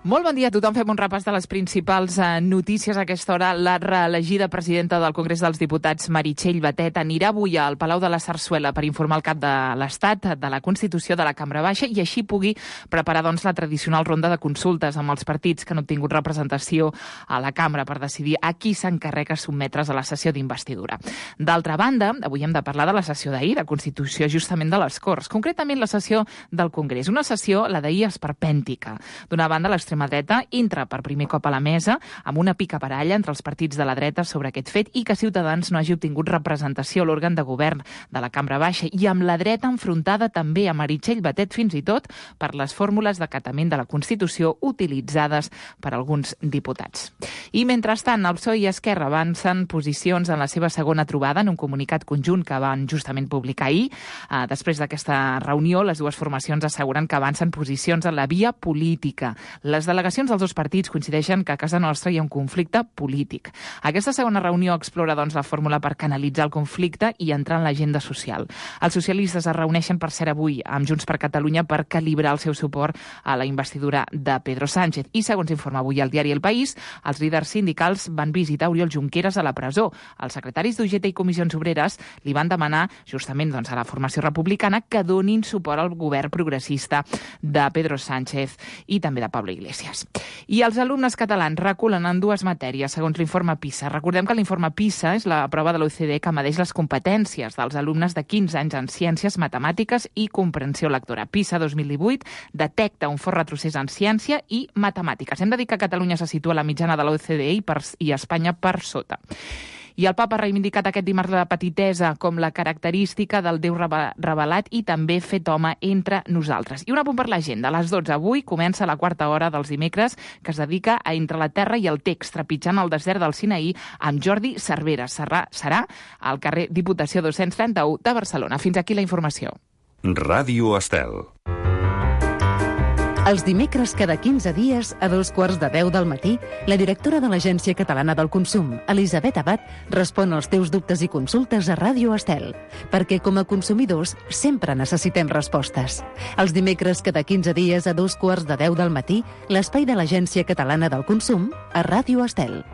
Molt bon dia a tothom. Fem un repàs de les principals notícies a aquesta hora. La reelegida presidenta del Congrés dels Diputats, Meritxell Batet, anirà avui al Palau de la Sarsuela per informar el cap de l'Estat de la Constitució de la Cambra Baixa i així pugui preparar la tradicional ronda de consultes amb els partits que han obtingut representació a la Cambra per decidir a qui s'encarrega sotmetre's a la sessió d'investidura. D'altra banda, avui hem de parlar de la sessió d'ahir, de Constitució justament de les Corts, concretament la sessió del Congrés. Una sessió, la d'ahir, esperpèntica. D'una banda, l'extrema dreta entra per primer cop a la mesa amb una picabaralla entre els partits de la dreta sobre aquest fet i que Ciutadans no hagi obtingut representació a l'òrgan de govern de la Cambra Baixa i amb la dreta enfrontada també a Meritxell Batet fins i tot per les fórmules d'acatament de la Constitució utilitzades per alguns diputats. I mentrestant, el PSOE i Esquerra avancen posicions en la seva segona trobada en un comunicat conjunt que van justament publicar ahir. Després d'aquesta reunió, les dues formacions asseguren que avancen posicions en la via política. Les delegacions dels dos partits coincideixen que a casa nostra hi ha un conflicte polític. Aquesta segona reunió explora, la fórmula per canalitzar el conflicte i entrar en l'agenda social. Els socialistes es reuneixen per ser avui amb Junts per Catalunya per calibrar el seu suport a la investidura de Pedro Sánchez. I, segons informa avui el diari El País, els líders sindicals van visitar Oriol Junqueras a la presó. Els secretaris d'UGT i Comissions Obreres li van demanar justament a la formació republicana que donin suport al govern progressista de Pedro Sánchez i també de Pablo Iglesias. I els alumnes catalans reculen en dues matèries, segons l'informe PISA. Recordem que l'informe PISA és la prova de l'OCDE que medeix les competències dels alumnes de 15 anys en ciències, matemàtiques i comprensió lectora. PISA 2018 detecta un fort retrocés en ciència i matemàtiques. Hem de dir que Catalunya se situa a la mitjana de l'OCDE i Espanya per sota. I el papa ha reivindicat aquest dimarts la petitesa com la característica del Déu revelat i també fet home entre nosaltres. I un apunt per l'agenda. A les 12 avui comença la quarta hora dels dimecres que es dedica a Entre la terra i el text, trepitjant el desert del Sinaí amb Jordi Cervera. Serà al carrer Diputació 231 de Barcelona. Fins aquí la informació. Ràdio Estel. Els dimecres cada 15 dies, a 9:15 del matí, la directora de l'Agència Catalana del Consum, Elisabet Abad, respon als teus dubtes i consultes a Ràdio Estel, perquè com a consumidors sempre necessitem respostes. Els dimecres cada 15 dies, a 9:15 del matí, l'espai de l'Agència Catalana del Consum a Ràdio Estel.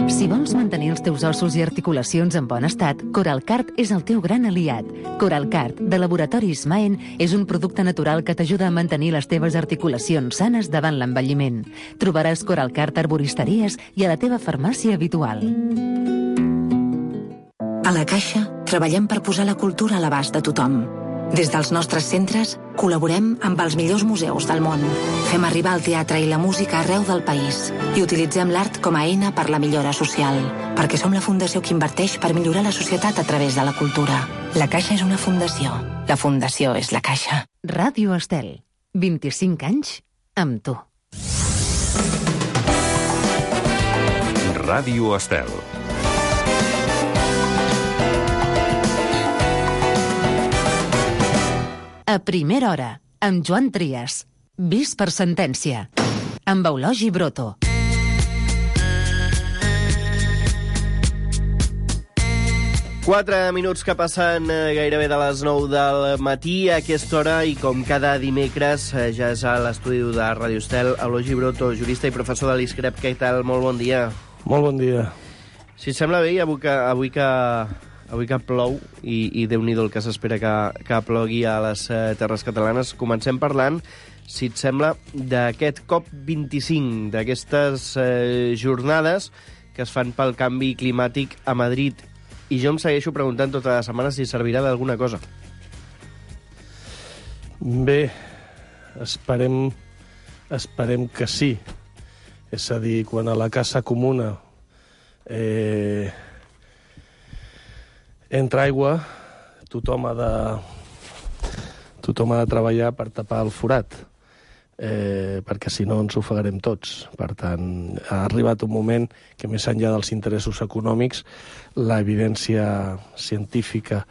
Si vols mantenir els teus ossos i articulacions en bon estat, Coralcart és el teu gran aliat. Coralcart, de Laboratoris Maen, és un producte natural que t'ajuda a mantenir les teves articulacions sanes davant l'envelliment. Trobaràs Coralcart a arboristeries i a la teva farmàcia habitual. A la Caixa, treballem per posar la cultura a l'abast de tothom. Des dels nostres centres, col·laborem amb els millors museus del món. Fem arribar el teatre i la música arreu del país i utilitzem l'art com a eina per la millora social. Perquè som la fundació que inverteix per millorar la societat a través de la cultura. La Caixa és una fundació. La fundació és la Caixa. Ràdio Estel. 25 anys amb tu. Ràdio Estel. A primera hora, amb Joan Trias. Vist per sentència. Amb Eulogi Broto. Quatre minuts que passen gairebé de les 9 del matí a aquesta hora i com cada dimecres ja és a l'estudi de Ràdio Estel, Eulogi Broto, jurista i professor de l'ISCREP. Què tal? Molt bon dia. Molt bon dia. Si et sembla bé, avui que plou i Déu-n'hi-do el que s'espera que plogui a les terres catalanes, comencem parlant, si et sembla, d'aquest COP25, d'aquestes jornades que es fan pel canvi climàtic a Madrid. I jo em segueixo preguntant tota la setmana si servirà d'alguna cosa. Bé, esperem que sí. És a dir, quan a la casa comuna entra aigua, tothom ha de treballar per tapar el forat, perquè si no ens ofegarem tots. Per tant, ha arribat un moment que més enllà dels interessos econòmics, l'evidència científica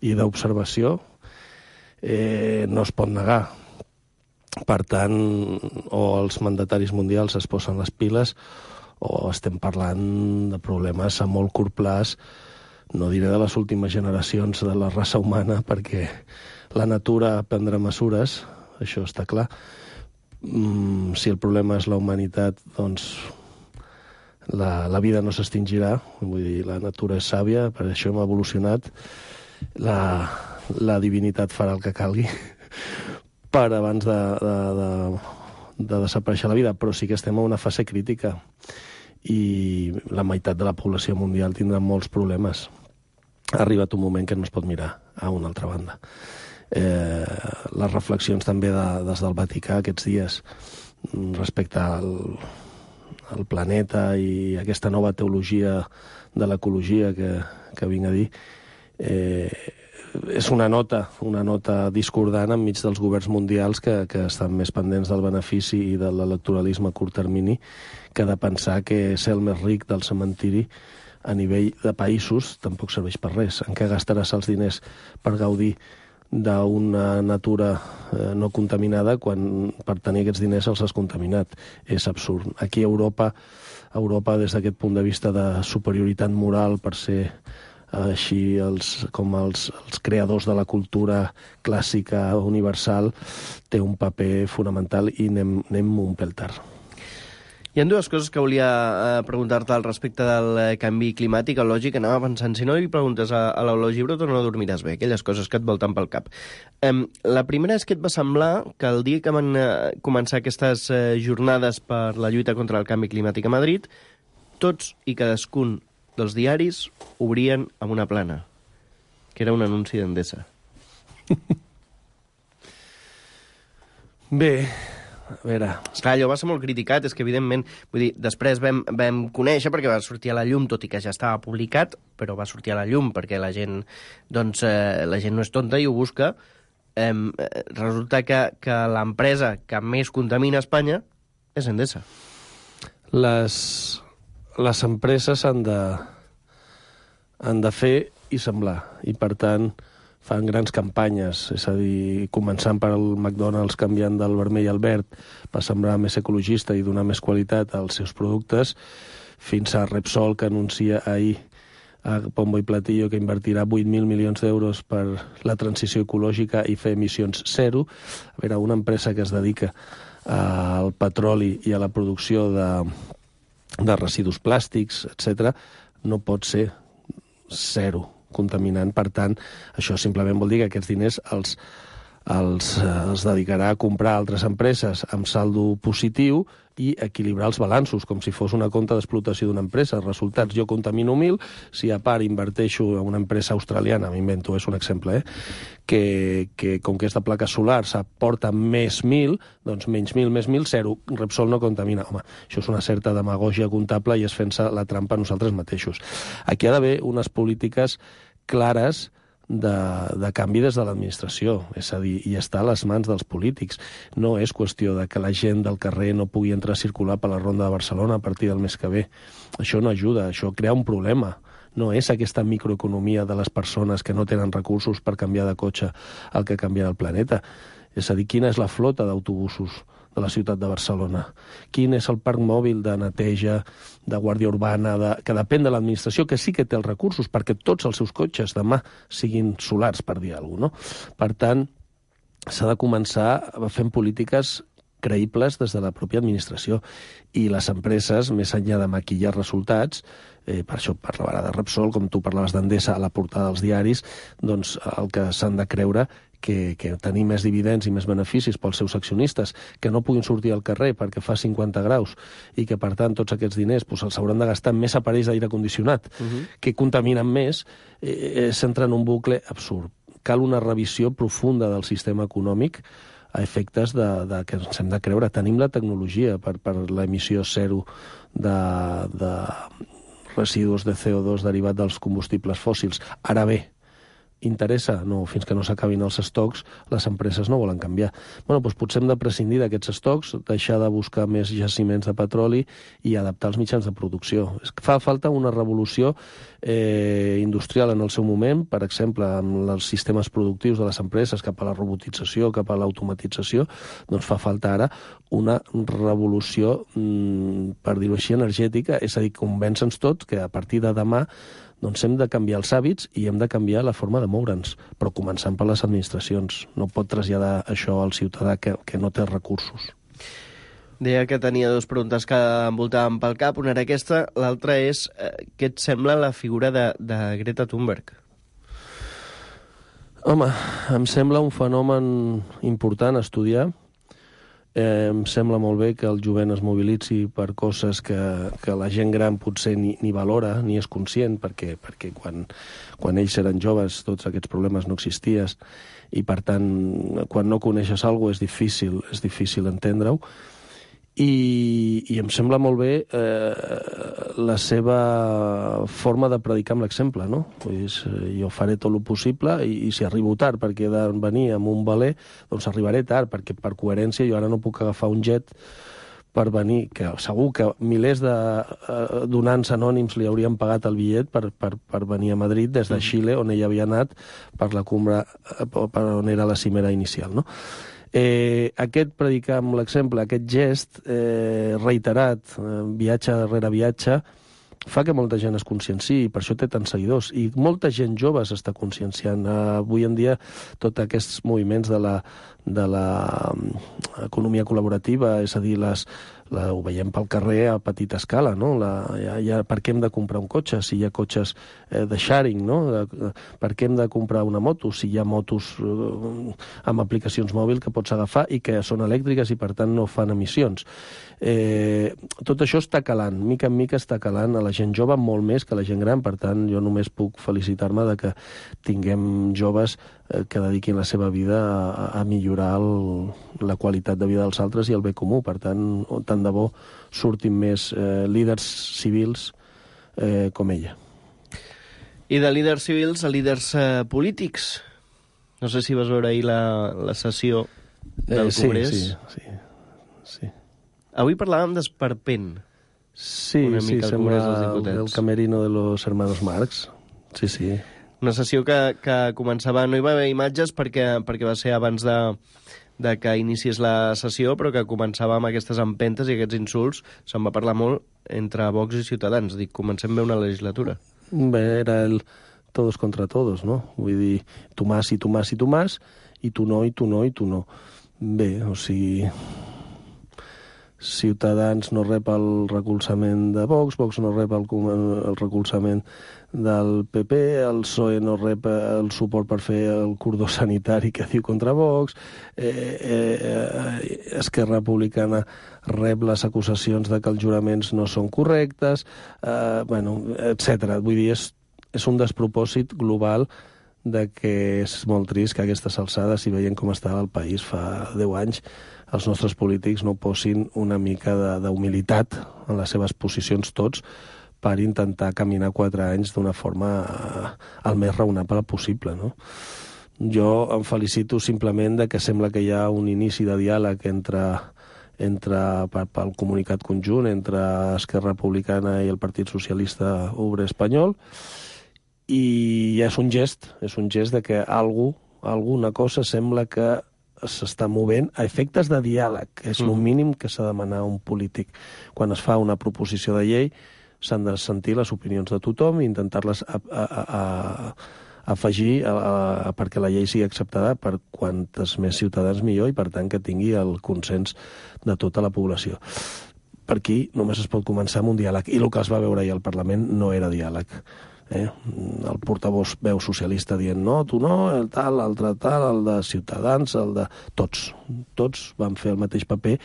i d'observació no es pot negar. Per tant, o els mandataris mundials es posen les piles o estem parlant de problemes a molt curt plaç, no diré de les últimes generacions de la raça humana, perquè La natura prendrà mesures, això està clar. Si el problema és la humanitat, doncs la vida no s'extingirà. Vull dir, la natura és sàvia, per això hem evolucionat. La divinitat farà el que calgui per abans de desaparèixer la vida, però sí que estem en una fase crítica i la meitat de la població mundial tindrà molts problemes. Ha arribat un moment que no es pot mirar a una altra banda. Les reflexions també des del Vaticà aquests dies respecte al planeta i aquesta nova teologia de l'ecologia que vinc a dir, és una nota discordant enmig dels governs mundials que estan més pendents del benefici i de l'electoralisme a curt termini que de pensar que ser el més ric del cementiri a nivell de països tampoc serveix per res. En què gastaràs els diners per gaudir d'una natura no contaminada quan per tenir aquests diners els has contaminat? És absurd. Aquí a Europa, des d'aquest punt de vista de superioritat moral per ser així com els creadors de la cultura clàssica universal, té un paper fonamental i anem un pèl tard. Hi ha dues coses que volia preguntar-te al respecte del canvi climàtic. El lògic, anava pensant, si no li preguntes a l'Eulogii Broto no dormiràs bé, aquelles coses que et volten pel cap. La primera és que et va semblar que el dia que van començar aquestes jornades per la lluita contra el canvi climàtic a Madrid, tots i cadascun dels diaris obrien amb una plana, que era un anunci d'Endesa. Bé, a veure... Esclar, allò va ser molt criticat, és que evidentment, vull dir, després vam conèixer, perquè va sortir a la llum, tot i que ja estava publicat, però va sortir a la llum perquè la gent, doncs, la gent no és tonta i ho busca. Resulta que l'empresa que més contamina a Espanya és Endesa. Les empreses han de fer i semblar, i per tant fan grans campanyes, és a dir, començant per el McDonald's canviant del vermell al verd per semblar més ecologista i donar més qualitat als seus productes, fins a Repsol, que anuncia ahir a Pombo i Platillo que invertirà 8.000 milions d'euros per la transició ecològica i fer emissions zero. A veure, una empresa que es dedica al petroli i a la producció de residus plàstics, etc., no pot ser zero contaminant. Per tant, això simplement vol dir que aquests diners els dedicarà a comprar altres empreses amb saldo positiu i equilibrar els balanços, com si fos una compta d'explotació d'una empresa. Resultats, jo contamino 1.000, si a part inverteixo en una empresa australiana, m'invento, és un exemple, que com que és de plaques solars aporta més 1.000, doncs menys 1.000, més 1.000, 0. Repsol no contamina. Home, això és una certa demagògia comptable i és fent-se la trampa a nosaltres mateixos. Aquí ha d'haver unes polítiques clares de canvi des de l'administració, és a dir, i està a les mans dels polítics. No és qüestió de que la gent del carrer no pugui entrar a circular per la Ronda de Barcelona a partir del mes que ve. Això no ajuda, això crea un problema. No és aquesta microeconomia de les persones que no tenen recursos per canviar de cotxe el que canviarà el planeta. És a dir, quina és la flota d'autobusos de la ciutat de Barcelona? Quin és el parc mòbil de neteja, de guàrdia urbana, que depèn de l'administració, que sí que té els recursos perquè tots els seus cotxes demà siguin solars, per dir alguna cosa, no? Per tant, s'ha de començar fent polítiques creïbles des de la pròpia administració. I les empreses, més enllà de maquillar resultats, per això parlava de Repsol, com tu parlaves d'Endesa a la portada dels diaris, doncs el que s'han de creure que tenir més dividends i més beneficis pels seus accionistes, que no puguin sortir al carrer perquè fa 50 graus i que, per tant, tots aquests diners els hauran de gastar en més aparells d'aire condicionat, que contaminen més, s'entra en un bucle absurd. Cal una revisió profunda del sistema econòmic a efectes que ens hem de creure. Tenim la tecnologia per l'emissió zero de residus de CO2 derivat dels combustibles fòssils. Ara bé, interessa? No, fins que no s'acabin els estocs, les empreses no volen canviar. Doncs potser hem de prescindir d'aquests estocs, deixar de buscar més jaciments de petroli i adaptar els mitjans de producció. Fa falta una revolució industrial en el seu moment, per exemple, amb els sistemes productius de les empreses cap a la robotització, cap a l'automatització, doncs fa falta ara una revolució, per dir-ho així, energètica, és a dir, convèncer-nos tots que a partir de demà Doncs hem de canviar els hàbits i hem de canviar la forma de moure'ns, però començant per les administracions. No pot traslladar això al ciutadà que no té recursos. Deia que tenia dues preguntes que envoltaven pel cap. Una era aquesta, l'altra és què et sembla la figura de Greta Thunberg? Home, em sembla un fenomen important a estudiar. Em sembla molt bé que el jovent es mobilitzi per coses que la gent gran potser ni valora, ni és conscient, perquè quan ells eren joves tots aquests problemes no existien i, per tant, quan no coneixes alguna cosa és difícil entendre-ho. I em sembla molt bé la seva forma de predicar amb l'exemple, no? Vull dir, jo faré tot el possible i si arribo tard perquè he de venir amb un valer, doncs arribaré tard, perquè per coherència jo ara no puc agafar un jet per venir, que segur que milers de donants anònims li haurien pagat el bitllet per venir a Madrid des de Xile, on ella havia anat per la cumbre, per on era la cimera inicial, no? Aquest predicar amb l'exemple, aquest gest reiterat, viatge darrere viatge, fa que molta gent es conscienciï, i per això té tants seguidors. I molta gent jove s'està conscienciant. Avui en dia, tots aquests moviments de l'economia col·laborativa, és a dir, ho veiem pel carrer a petita escala, no? Per què hem de comprar un cotxe si hi ha cotxes de sharing, no? Per què hem de comprar una moto si hi ha motos amb aplicacions mòbils que pots agafar i que són elèctriques i, per tant, no fan emissions? Tot això està calant, mica en mica està calant a la gent jove molt més que a la gent gran. Per tant, jo només puc felicitar-me de que tinguem joves que dediquin la seva vida a millorar la qualitat de vida dels altres i el bé comú. Per tant, tant de bo surtin més líders civils com ella. I de líders civils a líders polítics. No sé si vas veure ahir la sessió del Congrés. Sí. Avui parlàvem d'esperpent. Sí, sembla el camerino de los hermanos Marx. Sí. Una sessió que començava... No hi va haver imatges perquè va ser abans de que iniciés la sessió, però que començava amb aquestes empentes i aquests insults. Se'n va parlar molt entre Vox i Ciutadans. Dic, comencem bé una legislatura. Bé, era el todos contra todos, no? Vull dir, tu más i tu más i tu más, i tu no, i tu no, i tu no. Bé, o sigui... Ciutadans no rep el recolzament de Vox, Vox no rep el recolzament del PP, el PSOE no rep el suport per fer el cordó sanitari que diu contra Vox, Esquerra Republicana rep les acusacions de que els juraments no són correctes, etc. Vull dir, és un despropòsit global de que és molt trist que a aquestes alçades, i veient com estava el país fa 10 anys, els nostres polítics no posin una mica d'humilitat en les seves posicions tots per intentar caminar 4 anys d'una forma el més raonable possible, no? Jo em felicito simplement de que sembla que hi ha un inici de diàleg pel comunicat conjunt entre Esquerra Republicana i el Partit Socialista Obrer Espanyol, i ja és un gest de que alguna cosa sembla que s'està movent a efectes de diàleg, que és el mínim que s'ha de demanar a un polític. Quan es fa una proposició de llei, s'han de sentir les opinions de tothom i intentar-les afegir perquè la llei sigui acceptada per quantes més ciutadans millor i, per tant, que tingui el consens de tota la població. Per aquí només es pot començar amb un diàleg, i el que es va veure ahir al Parlament no era diàleg. El portavós veu socialista dient no, tu no, el tal, l'altre tal, el de Ciutadans, el de... Tots van fer el mateix paper,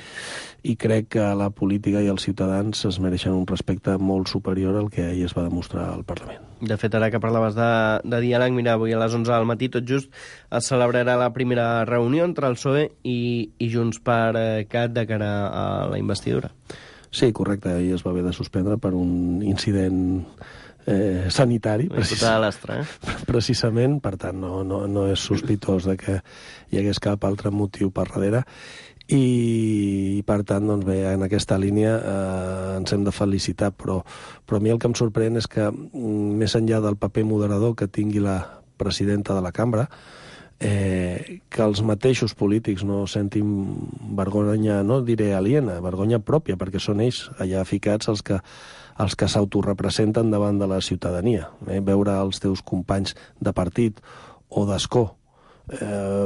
i crec que la política i els ciutadans es mereixen un respecte molt superior al que ahir es va demostrar al Parlament. De fet, ara que parlaves de diàleg, mira, avui a les 11 del matí, tot just, es celebrarà la primera reunió entre el PSOE i Junts per Cat de cara a la investidura. Sí, correcte, ahir es va haver de suspendre per un incident sanitari, precisament, per tant no és sospitós de que hi hagués cap altre motiu per darrere, i per tant, doncs bé, en aquesta línia ens hem de felicitar, però a mi el que em sorprèn és que, més enllà del paper moderador que tingui la presidenta de la cambra, que els mateixos polítics no sentin vergonya, no diré aliena, vergonya pròpia, perquè són ells allà ficats els que s'autorepresenten davant de la ciutadania. Veure els teus companys de partit o d'escó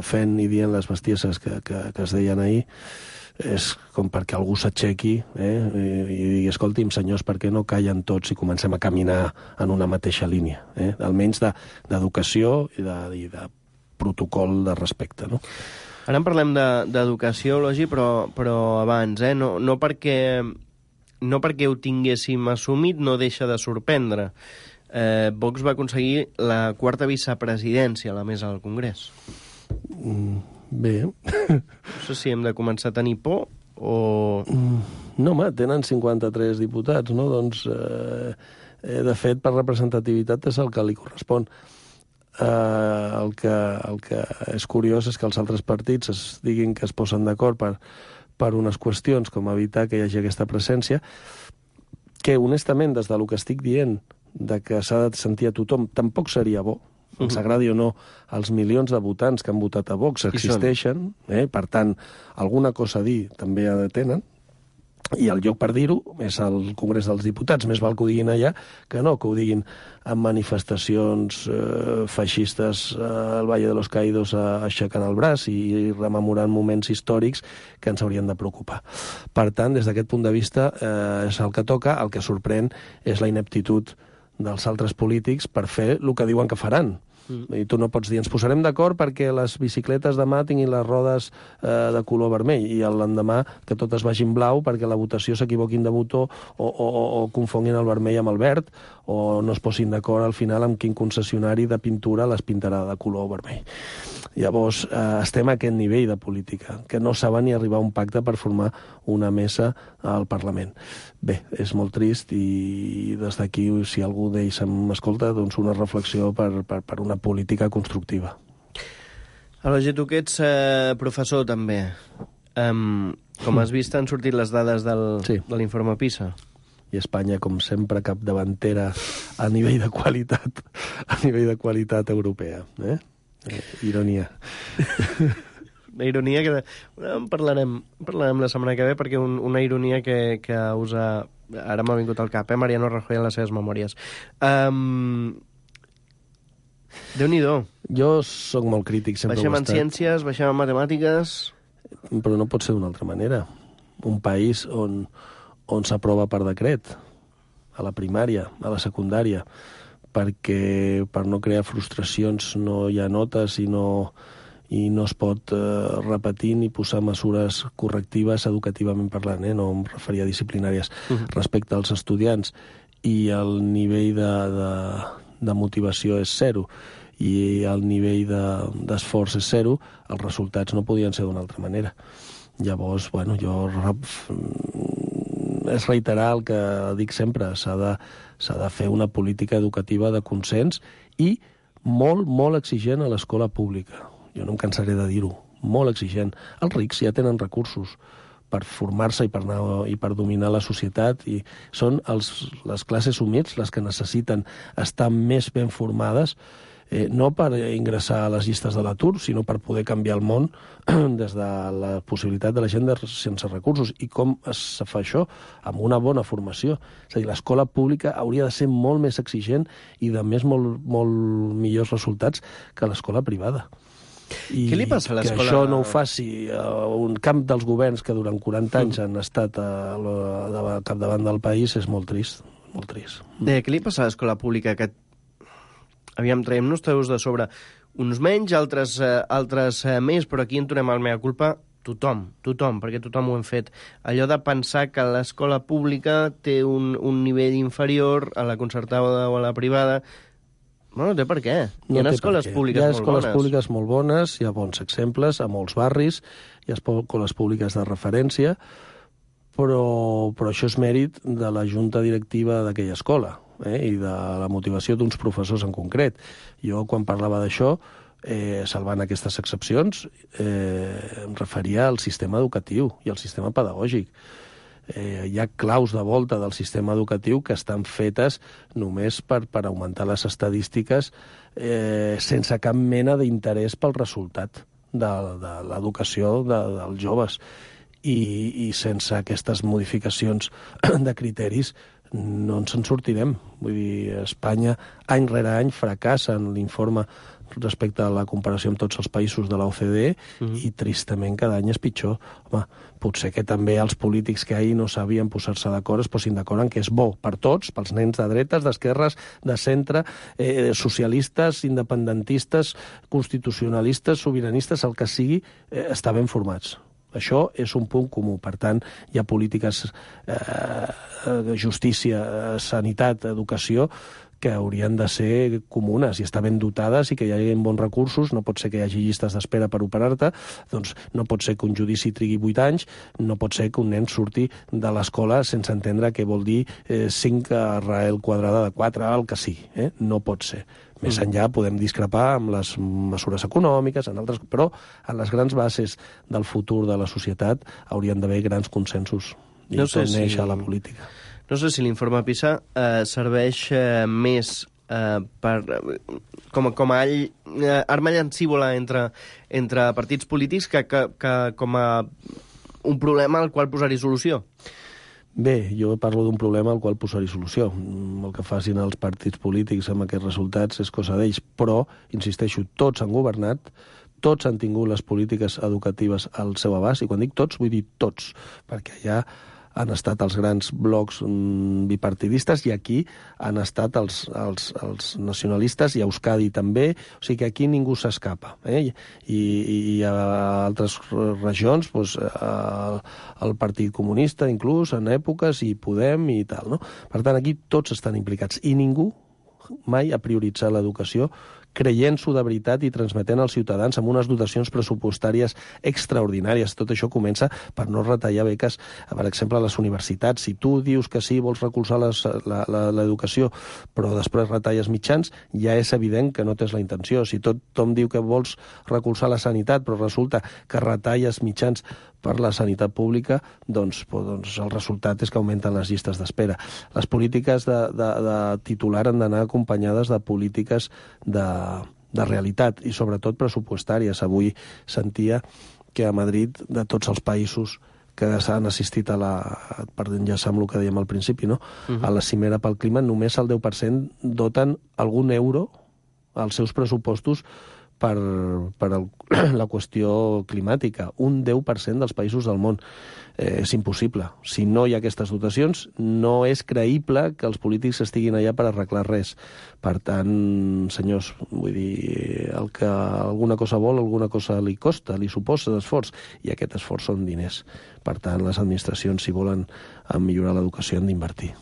fent i dient les bestieses que es deien ahir, és com perquè algú s'aixequi i digui, escolti'm, senyors, per què no callen tots i comencem a caminar en una mateixa línia? Almenys d'educació i de protocol de respecte, no? Ara en parlem d'educació, Elogi, però abans, no perquè ho tinguéssim assumit no deixa de sorprendre. Vox va aconseguir la 4ª vicepresidència a la mesa del Congrés. Bé. No sé si hem de començar a tenir por o... No, home, tenen 53 diputats, no? Doncs, de fet, per representativitat és el que li correspon. El que és curiós és que els altres partits es diguin que es posen d'acord per unes qüestions com evitar que hi hagi aquesta presència, que, honestament, des del que estic dient, de que s'ha de sentir a tothom, tampoc seria bo. Ens agradi o no, els milions de votants que han votat a Vox existeixen, per tant, alguna cosa a dir també tenen, i el lloc per dir-ho és el Congrés dels Diputats. Més val que ho diguin allà que no que ho diguin en manifestacions feixistes al Valle de los Caídos aixecant el braç i rememorant moments històrics que ens haurien de preocupar. Per tant, des d'aquest punt de vista, és el que toca. El que sorprèn és la ineptitud dels altres polítics per fer el que diuen que faran. I tu no pots dir, ens posarem d'acord perquè les bicicletes demà tinguin les rodes de color vermell i l'endemà que totes vagin blau perquè la votació s'equivoquin de botó o confonguin el vermell amb el verd o no es posin d'acord al final amb quin concessionari de pintura les pintarà de color vermell. Llavors, estem a aquest nivell de política, que no saben ni arribar a un pacte per formar una mesa al Parlament. Bé, és molt trist i des d'aquí, si algú d'ells m'escolta, doncs una reflexió per una política constructiva. Elogi, tu que ets professor també. Com has vist, han sortit les dades de l'informe PISA. I Espanya, com sempre, capdavantera a nivell de qualitat europea. Ironia. La ironia que... En parlarem la setmana que ve, perquè una ironia que usa... Ara m'ha vingut al cap, Mariano Rajoy en les seves memòries. Déu-n'hi-do. Jo sóc molt crític, sempre baixem en ciències, baixem en matemàtiques... Però no pot ser d'una altra manera. Un país on s'aprova per decret, a la primària, a la secundària, perquè per no crear frustracions no hi ha notes i no es pot repetir ni posar mesures correctives educativament parlant, no em referia a disciplinàries, respecte als estudiants, i el nivell de motivació és zero i el nivell d'esforç és zero, els resultats no podien ser d'una altra manera. Llavors, és reiterar el que dic sempre, s'ha de fer una política educativa de consens i molt, molt exigent a l'escola pública. Jo no em cansaré de dir-ho, molt exigent. Els rics ja tenen recursos per formar-se i per dominar la societat, i són les classes humils les que necessiten estar més ben formades, no per ingressar a les llistes de l'atur, sinó per poder canviar el món des de la possibilitat de la gent sense recursos. I com es fa això? Amb una bona formació. És a dir, l'escola pública hauria de ser molt més exigent i de molt millors resultats que l'escola privada. I què li passa a l'escola? Que això no ho faci un camp dels governs que durant 40 anys han estat capdavant del país és molt trist, molt trist. Què li passa a l'escola pública? Que aviam, traiem-nos teus de sobre. Uns menys, altres més, però aquí en tornem al mea culpa tothom, perquè tothom ho hem fet. Allò de pensar que l'escola pública té un nivell inferior a la concertada o a la privada... No té per què. Hi ha escoles públiques molt bones. Hi ha escoles públiques molt bones, hi ha bons exemples a molts barris, hi ha escoles públiques de referència, però això és mèrit de la junta directiva d'aquella escola i de la motivació d'uns professors en concret. Jo, quan parlava d'això, salvant aquestes excepcions, em referia al sistema educatiu i al sistema pedagògic. Hi ha claus de volta del sistema educatiu que estan fetes només per augmentar les estadístiques sense cap mena d'interès pel resultat de l'educació dels joves. I sense aquestes modificacions de criteris no ens en sortirem. Vull dir, Espanya, any rere any, fracassa en l'informe respecte a la comparació amb tots els països de l'OCDE i tristament cada any és pitjor. Home, potser que també els polítics que ahir no sabien posar-se d'acord es posin d'acord en que és bo per tots, pels nens de dretes, d'esquerres, de centre, socialistes, independentistes, constitucionalistes, sobiranistes, el que sigui, estar ben formats. Això és un punt comú. Per tant, hi ha polítiques de justícia, sanitat, educació, que haurien de ser comunes i estar ben dotades i que hi hagi bons recursos. No pot ser que hi hagi llistes d'espera per operar-te, doncs no pot ser que un judici trigui 8 anys, no pot ser que un nen surti de l'escola sense entendre què vol dir 5 arrel quadrada de 4, el que sigui. No pot ser. Més enllà podem discrepar amb les mesures econòmiques, en altres, però en les grans bases del futur de la societat haurien d'haver grans consensos. I no sé neix a la política. No sé si l'informe PISA serveix més com a arma llancívola entre partits polítics que com a un problema al qual posar-hi solució. Bé, jo parlo d'un problema al qual posar-hi solució. El que facin els partits polítics amb aquests resultats és cosa d'ells, però, insisteixo, tots han governat, tots han tingut les polítiques educatives al seu abast, i quan dic tots, vull dir tots, perquè ja han estat els grans blocs bipartidistes i aquí han estat els nacionalistes i a Euskadi també, o sigui que aquí ningú s'escapa. I a altres regions, doncs, el Partit Comunista inclús en èpoques i Podem i tal, no? Per tant, aquí tots estan implicats i ningú mai ha prioritzat l'educació creient-s'ho de veritat i transmetent als ciutadans amb unes dotacions pressupostàries extraordinàries. Tot això comença per no retallar beques, per exemple, a les universitats. Si tu dius que sí, vols recolzar l'educació, però després retalles mitjans, ja és evident que no tens la intenció. Si tothom diu que vols recolzar la sanitat, però resulta que retalles mitjans per la sanitat pública, doncs el resultat és que augmenten les llistes d'espera. Les polítiques de titular han d'anar acompanyades de polítiques de realitat i sobretot pressupostàries. Avui sentia que a Madrid, de tots els països que s'han assistit per enllaçar amb el que dèiem al principi, no? A la cimera pel clima, només el 10% doten algun euro als seus pressupostos per la qüestió climàtica. Un 10% dels països del món. És impossible. Si no hi ha aquestes dotacions, no és creïble que els polítics estiguin allà per arreglar res. Per tant, senyors, vull dir, el que alguna cosa vol, alguna cosa li costa, li suposa d'esforç, i aquest esforç són diners. Per tant, les administracions, si volen millorar l'educació, han d'invertir.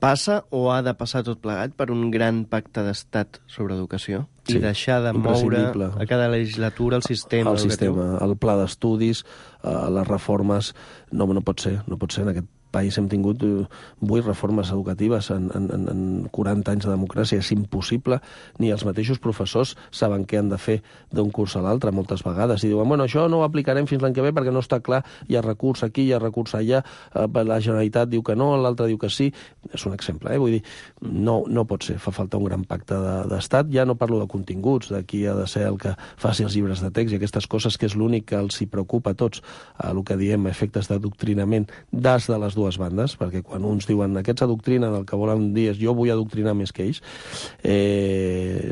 Passa o ha de passar tot plegat per un gran pacte d'estat sobre educació? Sí, i deixar de moure a cada legislatura el sistema educatiu? El pla d'estudis, les reformes... No pot ser en aquest país hem tingut 8 reformes educatives en 40 anys de democràcia. És impossible, ni els mateixos professors saben què han de fer d'un curs a l'altre moltes vegades. I diuen, bueno, això no ho aplicarem fins l'any que ve perquè no està clar, hi ha recurs aquí, hi ha recurs allà, la Generalitat diu que no, l'altre diu que sí. És un exemple, Vull dir, no pot ser, fa falta un gran pacte d'estat. Ja no parlo de continguts, de qui ha de ser el que faci els llibres de text i aquestes coses, que és l'únic que els hi preocupa a tots, el que diem efectes d'adoctrinament des de les dues bandes, perquè quan uns diuen aquests adoctrinen, el que volen dir és jo vull adoctrinar més que ells,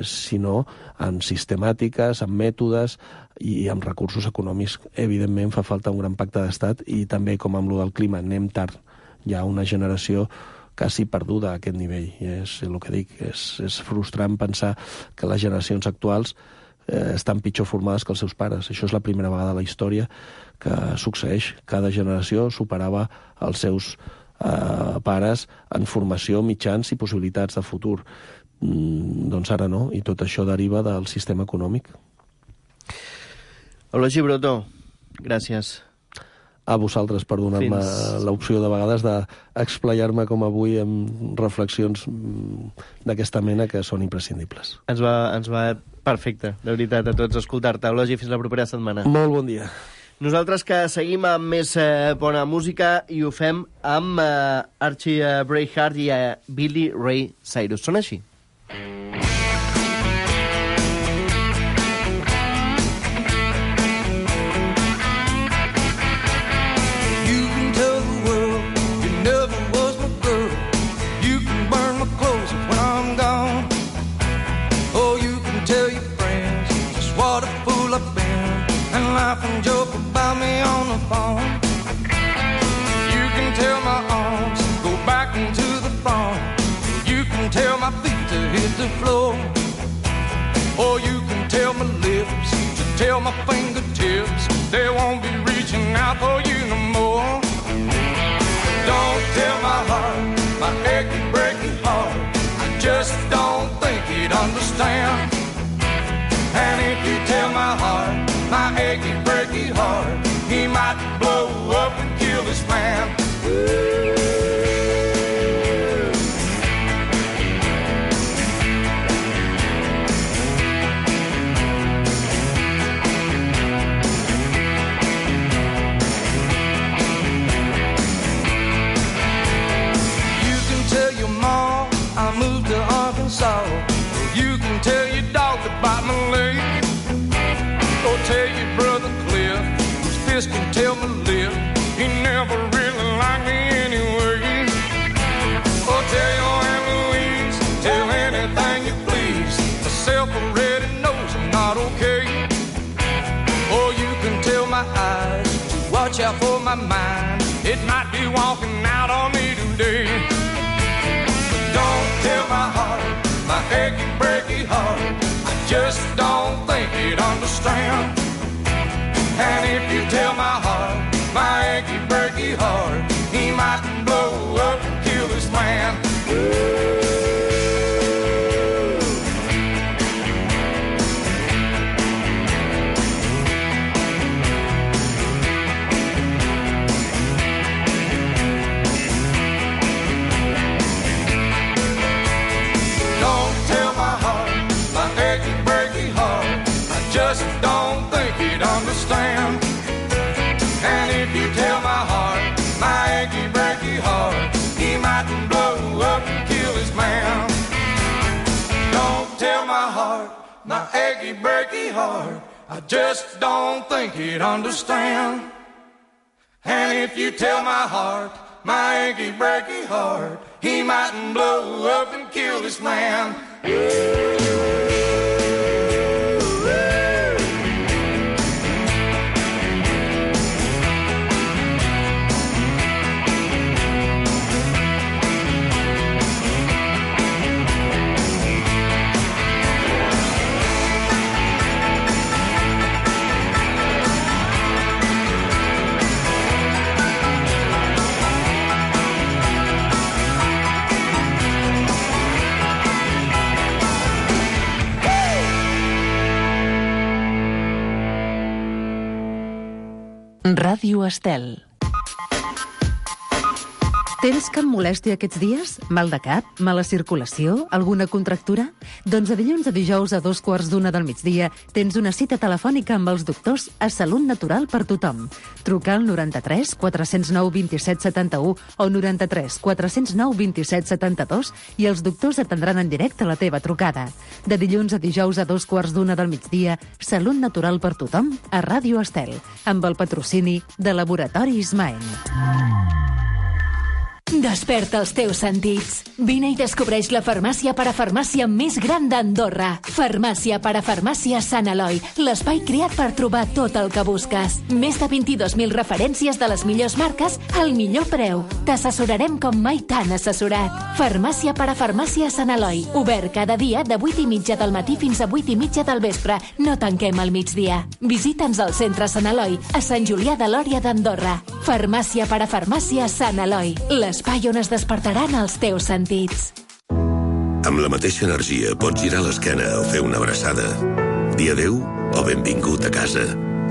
sinó amb sistemàtiques, amb mètodes i amb recursos econòmics. Evidentment fa falta un gran pacte d'estat i també, com amb lo del clima, anem tard. Hi ha una generació quasi perduda a aquest nivell. I és el que dic, és frustrant pensar que les generacions actuals estan pitjor formades que els seus pares. Això és la primera vegada a la història que succeeix. Cada generació superava els seus pares en formació, mitjans i possibilitats de futur. Doncs ara no, i tot això deriva del sistema econòmic. Eulogii Brotó, gràcies. A vosaltres per donar-me l'opció de vegades d'explayar-me com avui amb reflexions d'aquesta mena que són imprescindibles. Ens va perfecte, de veritat, a tots escoltar-te. Eulogii, fins la propera setmana. Molt bon dia. Nosaltres que seguim amb més bona música i ho fem amb Archie Braeheart i Billy Ray Cyrus. Són així. some joke about me on the phone. You can tell my arms go back into the phone. You can tell my feet to hit the floor. Or you can tell my lips to tell my fingertips they won't be reaching out for you no more. Don't tell my heart, my achy, breaky heart, I just don't think he'd understand. And if you tell my heart, my achy, breaky heart, he might blow up and kill this man. I moved to Arkansas. You can tell your dog to bite my leg. Or tell your brother Cliff, whose fist can tell my lip, he never really liked me anyway. Or tell your Aunt Louise, tell anything you please. Myself already knows I'm not okay. Or you can tell my eyes to watch out for my mind. It might be walking out on me today. Don't tell my heart, my achy, breaky heart, I just don't think he'd understand. And if you tell my heart, my achy, breaky heart, he might blow up and kill this man. Just don't think he'd understand. And if you tell my heart, my achy, breaky heart, he might blow up and kill his man. Don't tell my heart, my achy, breaky heart, I just don't think he'd understand. And if you tell my heart, my achy, breaky heart, he might blow up and kill this man. Ràdio Estel. Tens cap molèstia aquests dies? Mal de cap? Mala circulació? Alguna contractura? Doncs de dilluns a dijous a 2:15 del migdia tens una cita telefònica amb els doctors a Salut Natural per tothom. Truca al 93 409 27 71 o 93 409 27 72 i els doctors atendran en directe la teva trucada. De dilluns a dijous a 2:15 del migdia, Salut Natural per tothom a Ràdio Estel, amb el patrocini de Laboratoris Maen. Desperta els teus sentits. Vine i descobreix la farmàcia parafarmàcia més gran d'Andorra. Farmàcia parafarmàcia Sant Eloi, l'espai creat per trobar tot el que busques. Més de 22.000 referències de les millors marques al millor preu. T'assessorarem com mai t'han assessorat. Farmàcia parafarmàcia Sant Eloi, obert cada dia de 8:30 del matí fins a 8:30 del vespre. No tanquem al migdia. Visita'ns al centre Sant Eloi, a Sant Julià de Lòria d'Andorra. Farmàcia parafarmàcia Sant Eloi, l'espai on es despertaran els teus sentits. Amb la mateixa energia pots girar l'esquena o fer una abraçada. Dir adéu o benvingut a casa.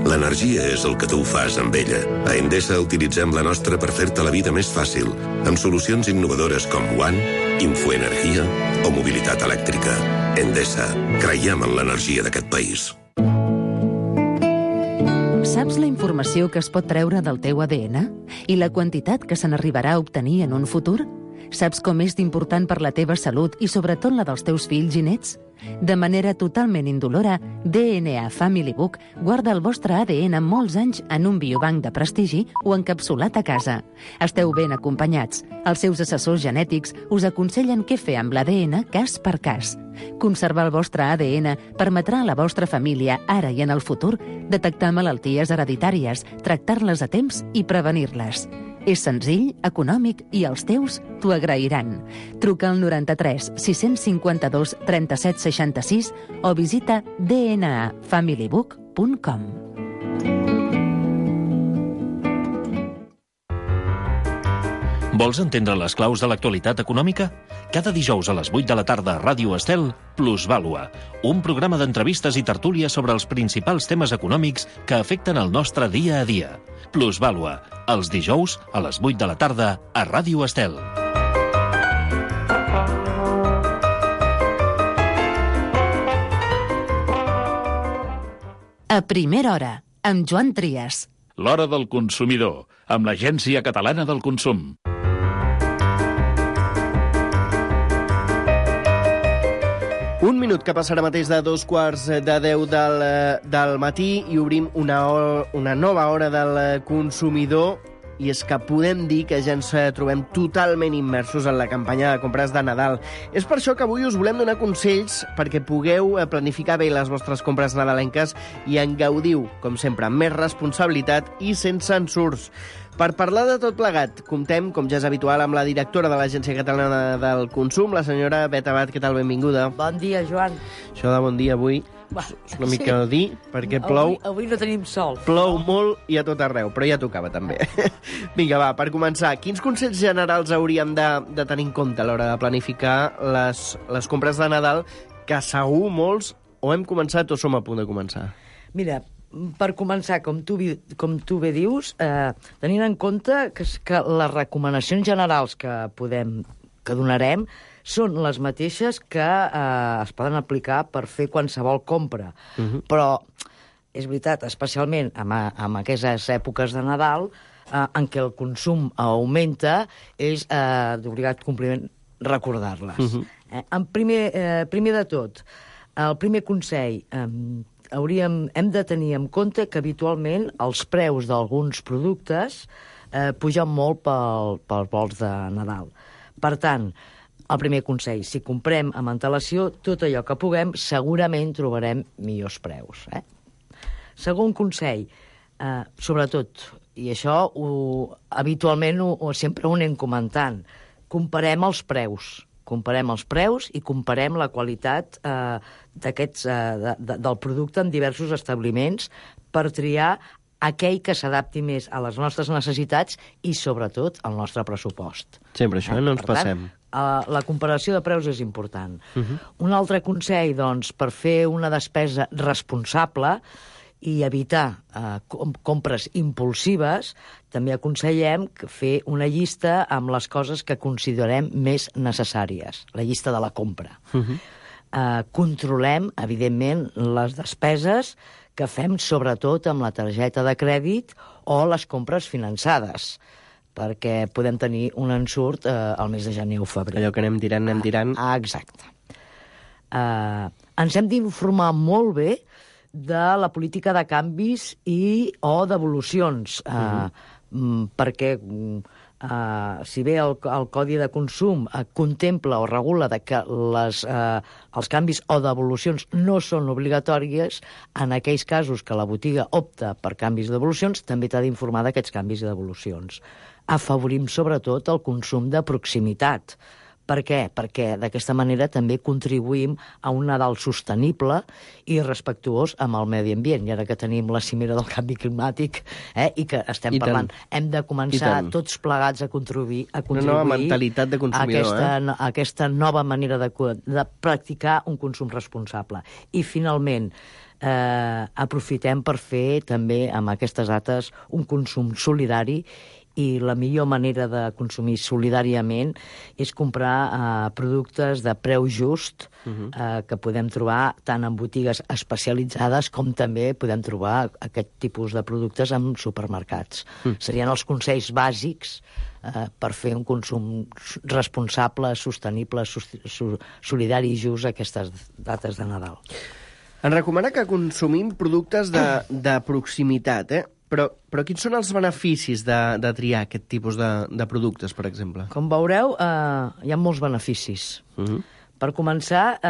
L'energia és el que tu fas amb ella. A Endesa utilitzem la nostra per fer-te la vida més fàcil, amb solucions innovadores com One, Infoenergia o mobilitat elèctrica. Endesa, creiem en l'energia d'aquest país. Saps la informació que es pot treure del teu ADN? I la quantitat que se n'arribarà a obtenir en un futur? Saps com és d'important per la teva salut i sobretot la dels teus fills i nets? De manera totalment indolora, DNA Family Book guarda el vostre ADN molts anys en un biobanc de prestigi o encapsulat a casa. Esteu ben acompanyats. Els seus assessors genètics us aconsellen què fer amb l'ADN cas per cas. Conservar el vostre ADN permetrà a la vostra família, ara i en el futur, detectar malalties hereditàries, tractar-les a temps i prevenir-les. És senzill, econòmic i els teus t'ho agrairan. Truca al 93 652 37 66 o visita dnafamilybook.com. Vols entendre les claus de l'actualitat econòmica? Cada dijous a les 8 de la tarda a Ràdio Estel, Plusvàlua, un programa d'entrevistes i tertúlies sobre els principals temes econòmics que afecten el nostre dia a dia. Plusvàlua, els dijous a les 8 de la tarda a Ràdio Estel. A primera hora, amb Joan Trias. L'hora del consumidor, amb l'Agència Catalana del Consum. Un minut que passa ara mateix de 2:45 del matí i obrim una nova hora del consumidor, i és que podem dir que ja ens trobem totalment immersos en la campanya de compres de Nadal. És per això que avui us volem donar consells perquè pugueu planificar bé les vostres compres nadalenques i en gaudiu, com sempre, amb més responsabilitat i sense ensurts. Per parlar de tot plegat, comptem, com ja és habitual, amb la directora de l'Agència Catalana del Consum, la senyora Bet Abad. Què tal? Benvinguda. Bon dia, Joan. Això de bon dia avui és una mica dir, perquè plou. Avui no tenim sol. Plou molt i a tot arreu, però ja tocava també. Vinga, va, per començar, quins consells generals hauríem de tenir en compte a l'hora de planificar les compres de Nadal, que segur molts o hem començat o som a punt de començar? Mira, per començar, com tu bé dius, tenint en compte que les recomanacions generals que donarem són les mateixes que es poden aplicar per fer qualsevol compra. Però és veritat, especialment en aquestes èpoques de Nadal, en què el consum augmenta, és d'obligat compliment recordar-les. Primer de tot, el primer consell, hem de tenir en compte que habitualment els preus d'alguns productes pugen molt pels vols de Nadal. Per tant, el primer consell, si comprem amb antelació tot allò que puguem, segurament trobarem millors preus. Segon consell, sobretot, i això habitualment sempre ho anem comentant, comparem els preus. Comparem els preus i comparem la qualitat del producte en diversos establiments per triar aquell que s'adapti més a les nostres necessitats i, sobretot, al nostre pressupost. Sempre això, no ens passem. La comparació de preus és important. Un altre consell, doncs, per fer una despesa responsable i evitar compres impulsives, també aconsellem fer una llista amb les coses que considerem més necessàries, la llista de la compra. Controlem, evidentment, les despeses que fem sobretot amb la targeta de crèdit o les compres finançades, perquè podem tenir un ensurt al mes de gener o febrer. Allò que anem tirant. Exacte. Ens hem d'informar molt bé de la política de canvis o devolucions, perquè si bé el Codi de Consum contempla o regula que els canvis o devolucions no són obligatòries, en aquells casos que la botiga opta per canvis i devolucions, també t'ha d'informar d'aquests canvis i devolucions. Afavorim sobretot el consum de proximitat. Per què? Perquè d'aquesta manera també contribuïm a un Nadal sostenible i respectuós amb el medi ambient. I ara que tenim la cimera del canvi climàtic i que estem parlant, hem de començar tots plegats a contribuir una nova mentalitat de consumidor, a aquesta nova manera de practicar un consum responsable. I finalment, aprofitem per fer també amb aquestes dates un consum solidari i la millor manera de consumir solidàriament és comprar productes de preu just que podem trobar tant en botigues especialitzades com també podem trobar aquest tipus de productes en supermercats. Serien els consells bàsics per fer un consum responsable, sostenible, solidari i just a aquestes dates de Nadal. Ens recomana que consumim productes de proximitat, Però quins són els beneficis de triar aquest tipus de productes, per exemple? Com veureu, hi ha molts beneficis. Per començar,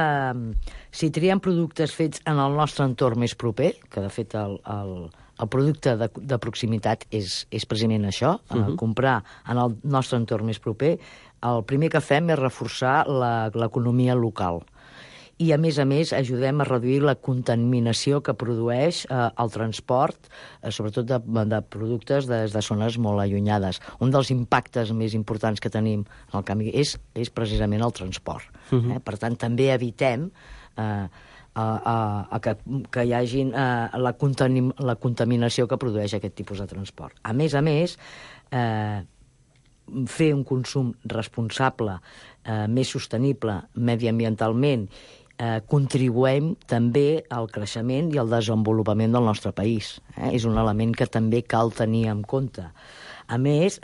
si triem productes fets en el nostre entorn més proper, que de fet el producte de proximitat és precisament això, comprar en el nostre entorn més proper, el primer que fem és reforçar l'economia local. I, a més, ajudem a reduir la contaminació que produeix el transport, sobretot de productes des de zones molt allunyades. Un dels impactes més importants que tenim en el canvi és precisament el transport. Per tant, també evitem que hi hagi la contaminació que produeix aquest tipus de transport. A més, fer un consum responsable, més sostenible mediambientalment, contribuem també al creixement i al desenvolupament del nostre país. És un element que també cal tenir en compte. A més,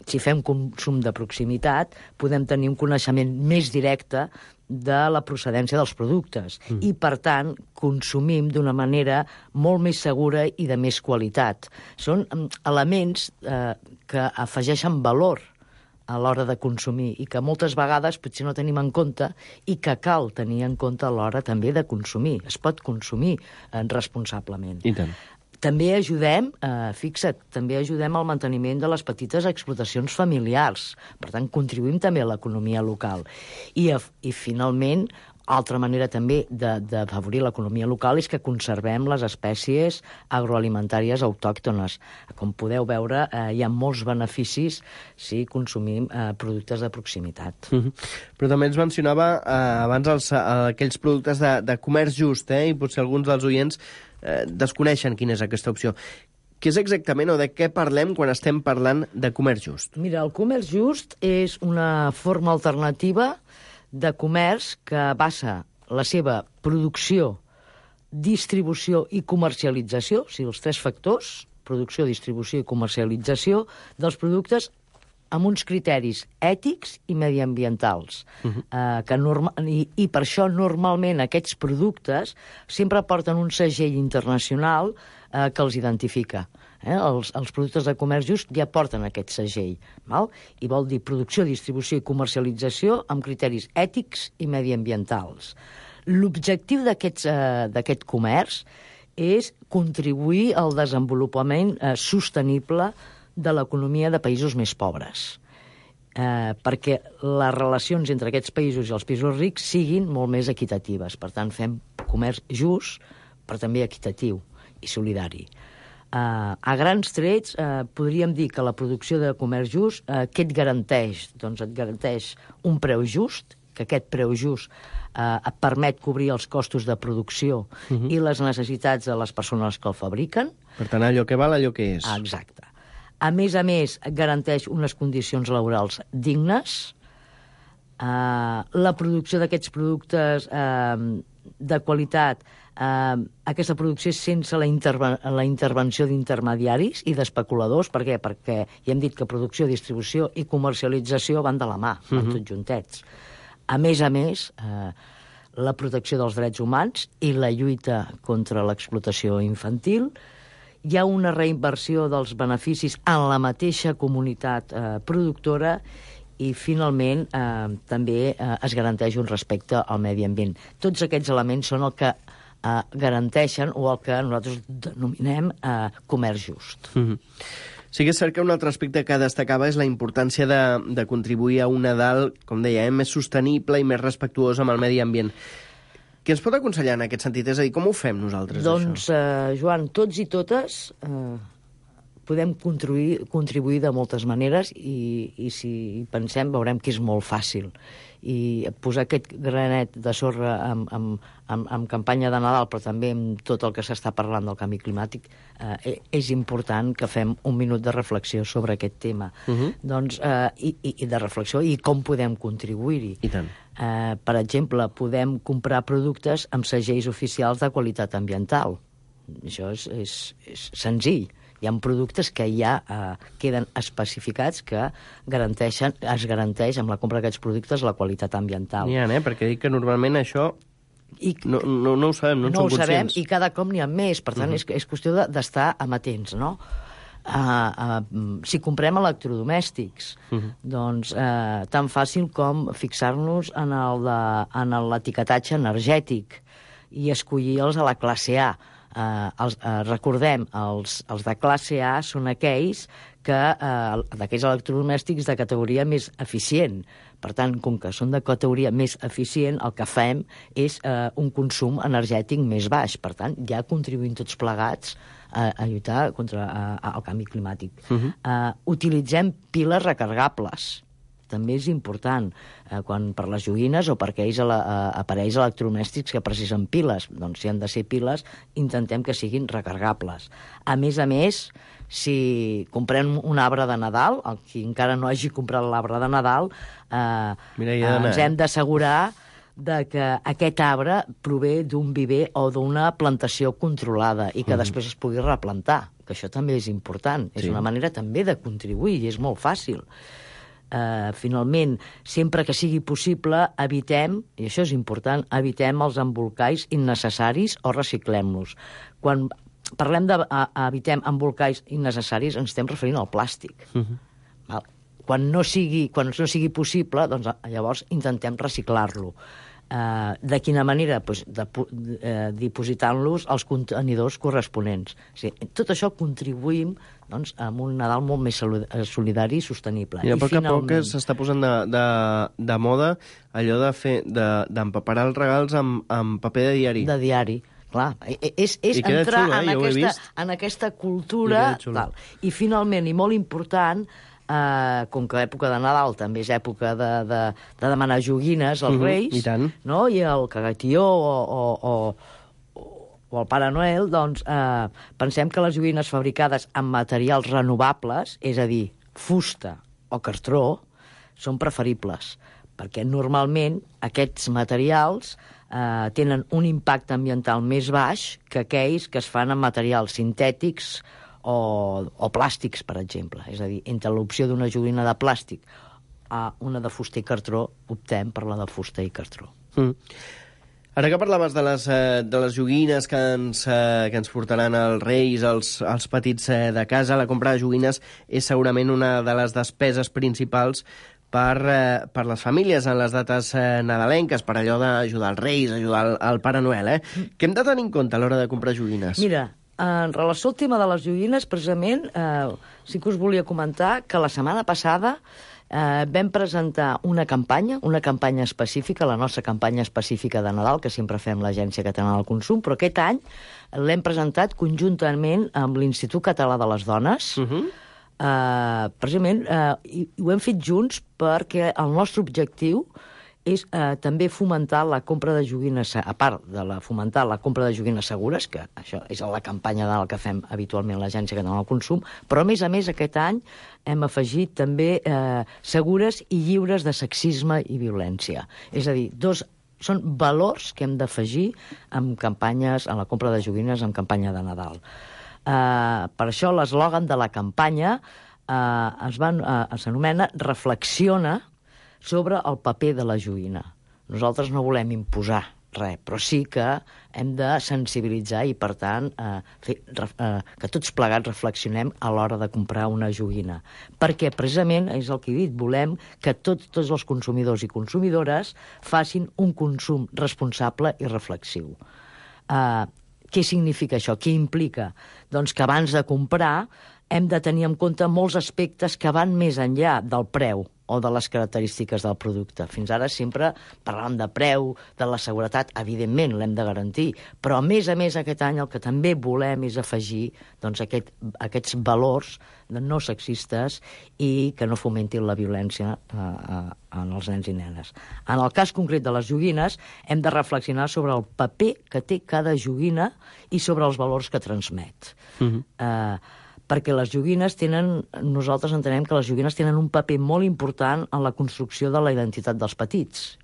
si fem consum de proximitat, podem tenir un coneixement més directe de la procedència dels productes i, per tant, consumim d'una manera molt més segura i de més qualitat. Són elements que afegeixen valor a l'hora de consumir i que moltes vegades potser no tenim en compte i que cal tenir en compte a l'hora també de consumir. Es pot consumir responsablement. I tant. També ajudem, també ajudem al manteniment de les petites explotacions familiars. Per tant, contribuïm també a l'economia local. I finalment, altra manera també d'afavorir l'economia local és que conservem les espècies agroalimentàries autòctones. Com podeu veure, hi ha molts beneficis si consumim productes de proximitat. Però també ens mencionava abans aquells productes de comerç just, i potser alguns dels oients desconeixen quina és aquesta opció. Què és exactament o de què parlem quan estem parlant de comerç just? Mira, el comerç just és una forma alternativa de comerç que basa la seva producció, distribució i comercialització, o sigui, els tres factors, producció, distribució i comercialització dels productes amb uns criteris ètics i mediambientals. I per això, normalment, aquests productes sempre porten un segell internacional que els identifica. Els productes de comerç just ja porten aquest segell. I vol dir producció, distribució i comercialització amb criteris ètics i mediambientals. L'objectiu d'aquest comerç és contribuir al desenvolupament sostenible de l'economia de països més pobres, perquè les relacions entre aquests països i els països rics siguin molt més equitatives. Per tant, fem comerç just, però també equitatiu i solidari. A grans trets, podríem dir que la producció de comerç just, què et garanteix? Doncs et garanteix un preu just, que aquest preu just et permet cobrir els costos de producció i les necessitats de les persones que el fabriquen. Per tant, allò que val, allò que és. Exacte. A més, garanteix unes condicions laborals dignes. La producció d'aquests productes de qualitat, aquesta producció és sense la intervenció d'intermediaris i d'especuladors. Per què? Perquè ja hem dit que producció, distribució i comercialització van de la mà, van tots juntets. A més, la protecció dels drets humans i la lluita contra l'explotació infantil. Hi ha una reinversió dels beneficis en la mateixa comunitat productora i, finalment, també es garanteix un respecte al medi ambient. Tots aquests elements són el que garanteixen o el que nosaltres denominem comerç just. Sí que és cert que un altre aspecte que destacava és la importància de contribuir a un Nadal, com deia, més sostenible i més respectuós amb el medi ambient. Què ens pot aconsellar en aquest sentit? És a dir, com ho fem nosaltres, doncs, això? Joan, tots i totes podem contribuir de moltes maneres i si pensem veurem que és molt fàcil. I posar aquest granet de sorra en campanya de Nadal, però també amb tot el que s'està parlant del canvi climàtic, és important que fem un minut de reflexió sobre aquest tema. Doncs, i de reflexió i com podem contribuir-hi. I tant. Per exemple, podem comprar productes amb segells oficials de qualitat ambiental. Això és senzill. Hi ha productes que ja queden especificats que es garanteix amb la compra d'aquests productes la qualitat ambiental. N'hi ha, perquè dic que normalment això no ho sabem, no en som conscients. No ho sabem i cada cop n'hi ha més, per tant és qüestió d'estar amatents, no? Si comprem electrodomèstics, doncs tan fàcil com fixar-nos en l'etiquetatge energètic i escollir-los a la classe A. Recordem, els de classe A són aquells d'aquells electrodomèstics de categoria més eficient. Per tant, com que són de categoria més eficient, el que fem és un consum energètic més baix. Per tant, ja contribuïm tots plegats a lluitar contra el canvi climàtic. Utilitzem piles recargables. També és important, quan per les joguines o per aquells aparells electrodomèstics que precisen piles. Doncs si han de ser piles, intentem que siguin recargables. A més, si comprem un arbre de Nadal, qui encara no hagi comprat l'arbre de Nadal, ens hem d'assegurar que aquest arbre prové d'un viver o d'una plantació controlada i que després es pugui replantar, que això també és important. És una manera també de contribuir i és molt fàcil. Finalment, sempre que sigui possible, evitem, i això és important, evitem els embolcalls innecessaris o reciclem-los. Quan parlem d'evitem embolcalls innecessaris, ens estem referint al plàstic. Quan no sigui possible, doncs llavors intentem reciclar-lo. De quina manera? Pues dipositant-los als contenidors corresponents. Tot això contribuïm a un Nadal molt més solidari i sostenible. I a poc a poc s'està posant de moda allò d'empaperar els regals amb paper de diari. De diari. Clar, és entrar en aquesta cultura. I finalment, i molt important, com que l'època de Nadal també és època de demanar joguines als Reis, i el cagatió o el Pare Noel, doncs pensem que les joguines fabricades amb materials renovables, és a dir, fusta o cartró, són preferibles, perquè normalment aquests materials tenen un impacte ambiental més baix que aquells que es fan amb materials sintètics o plàstics, per exemple. És a dir, entre l'opció d'una joguina de plàstic a una de fusta i cartró, optem per la de fusta i cartró. Ara que parlaves de les joguines que ens portaran els Reis, els petits de casa, la compra de joguines és segurament una de les despeses principals per les famílies en les dates nadalenques, per allò d'ajudar els Reis, ajudar el Pare Noel. Què hem de tenir en compte a l'hora de comprar joguines? Mira, en relació al tema de les joguines, precisament, sí que us volia comentar que la setmana passada vam presentar una campanya específica, la nostra campanya específica de Nadal, que sempre fem l'Agència Catalana del Consum, però aquest any l'hem presentat conjuntament amb l'Institut Català de les Dones, precisament, i ho hem fet junts perquè el nostre objectiu és també fomentar la compra de joguines, a part de fomentar la compra de joguines segures, que això és la campanya que fem habitualment a l'Agència Catalana del Consum, però a més, aquest any hem afegit també segures i lliures de sexisme i violència. És a dir, són valors que hem d'afegir en campanyes, en la compra de joguines en campanya de Nadal. Per això l'eslògan de la campanya s'anomena Reflexiona sobre el paper de la joguina. Nosaltres no volem imposar res, però sí que hem de sensibilitzar i, per tant, que tots plegats reflexionem a l'hora de comprar una joguina. Perquè, precisament, és el que he dit, volem que tots els consumidors i consumidores facin un consum responsable i reflexiu. Què significa això? Què implica? Doncs que abans de comprar hem de tenir en compte molts aspectes que van més enllà del preu o de les característiques del producte. Fins ara sempre parlàvem de preu, de la seguretat, evidentment l'hem de garantir, però a més aquest any el que també volem és afegir doncs, aquests valors no sexistes i que no fomentin la violència en els nens i nenes. En el cas concret de les joguines, hem de reflexionar sobre el paper que té cada joguina i sobre els valors que transmet. Perquè les joguines nosaltres entenem que les joguines tenen un paper molt important en la construcció de la identitat dels petits.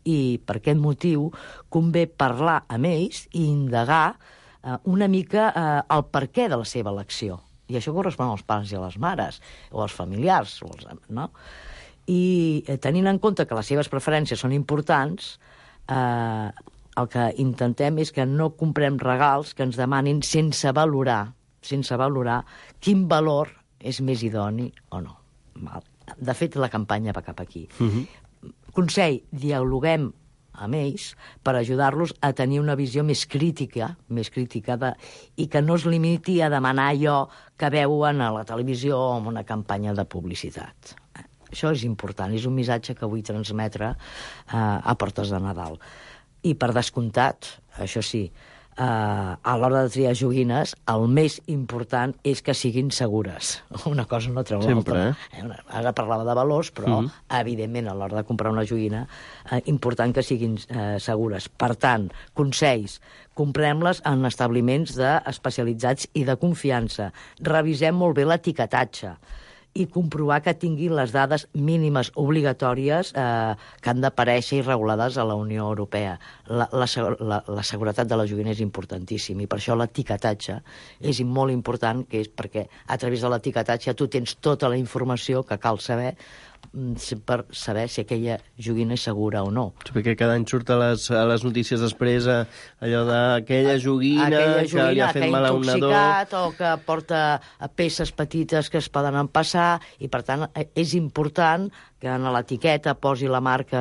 I per aquest motiu convé parlar amb ells i indagar una mica el perquè de la seva elecció. I això correspon als pares i a les mares, o als familiars, no? I tenint en compte que les seves preferències són importants, el que intentem és que no comprem regals que ens demanin sense valorar quin valor és més idoni o no. De fet, la campanya va cap aquí. Consell, dialoguem amb ells per ajudar-los a tenir una visió més crítica i que no es limiti a demanar allò que veuen a la televisió o en una campanya de publicitat. Això és important, és un missatge que vull transmetre a portes de Nadal. I per descomptat, això sí, a l'hora de triar joguines, el més important és que siguin segures. Una cosa no treu l'altra. Ara parlava de valors, però, evidentment, a l'hora de comprar una joguina, important que siguin segures. Per tant, consells, comprem-les en establiments especialitzats i de confiança. Revisem molt bé l'etiquetatge i comprovar que tinguin les dades mínimes obligatòries que han d'aparèixer i regulades a la Unió Europea. La seguretat de la joguina és importantíssim i per això l'etiquetatge és molt important, que és perquè a través de l'etiquetatge tu tens tota la informació que cal saber per saber si aquella joguina és segura o no. Perquè cada any surt a les notícies després allò d'aquella joguina que li ha fet mal a un nadó, o que porta peces petites que es poden empassar, i per tant és important que en l'etiqueta posi la marca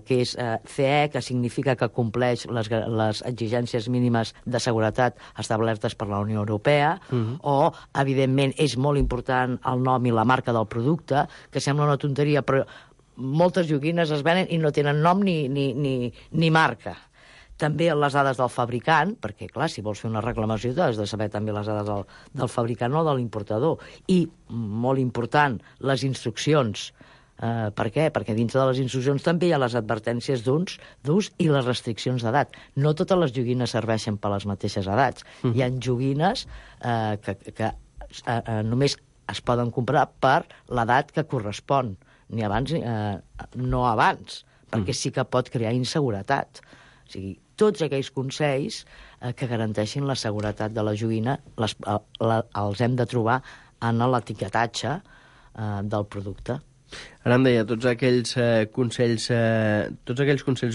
que és CE, que significa que compleix les exigències mínimes de seguretat establertes per la Unió Europea, o, evidentment, és molt important el nom i la marca del producte, que sembla una tonteria, però moltes joguines es venen i no tenen nom ni marca. També les dades del fabricant, perquè, clar, si vols fer una reclamació has de saber també les dades del fabricant o de l'importador. I, molt important, les instruccions. Per què? Perquè dintre de les instruccions també hi ha les advertències d'ús i les restriccions d'edat. No totes les joguines serveixen per les mateixes edats. Hi ha joguines que només es poden comprar per l'edat que correspon, ni abans, no abans, perquè sí que pot crear inseguretat. O sigui, tots aquells consells que garanteixin la seguretat de la joguina els hem de trobar en l'etiquetatge del producte. Ara em deia, tots aquells consells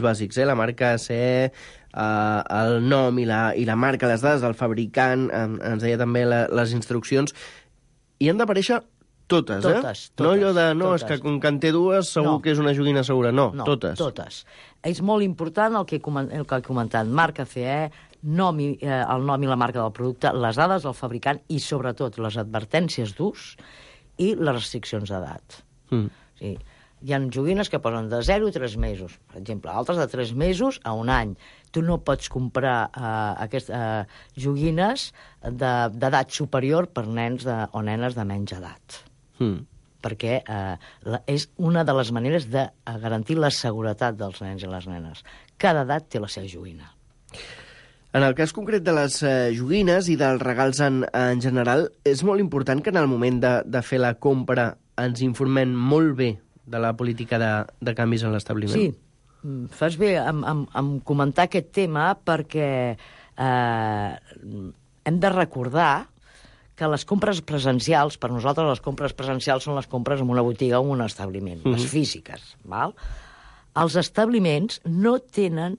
bàsics, la marca CE, el nom i la marca, les dades del fabricant, ens deia també les instruccions, i han d'aparèixer totes, no allò de, és que com que en té dues segur que és una joguina segura, no, totes. Totes. És molt important el que he comentat, marca CE, el nom i la marca del producte, les dades del fabricant i, sobretot, les advertències d'ús i les restriccions d'edat. Sí. Hi ha joguines que posen de 0 a 3 mesos, per exemple, altres de 3 mesos a un any. Tu no pots comprar aquestes joguines d'edat superior per nens o nenes de menys edat. Perquè és una de les maneres de garantir la seguretat dels nens i les nenes. Cada edat té la seva joguina. En el cas concret de les joguines i dels regals en general, és molt important que en el moment de fer la compra ens informem molt bé de la política de canvis en l'establiment. Sí, fas bé en comentar aquest tema perquè hem de recordar que les compres presencials, per nosaltres les compres presencials són les compres en una botiga o en un establiment, les físiques. Val? Els establiments no tenen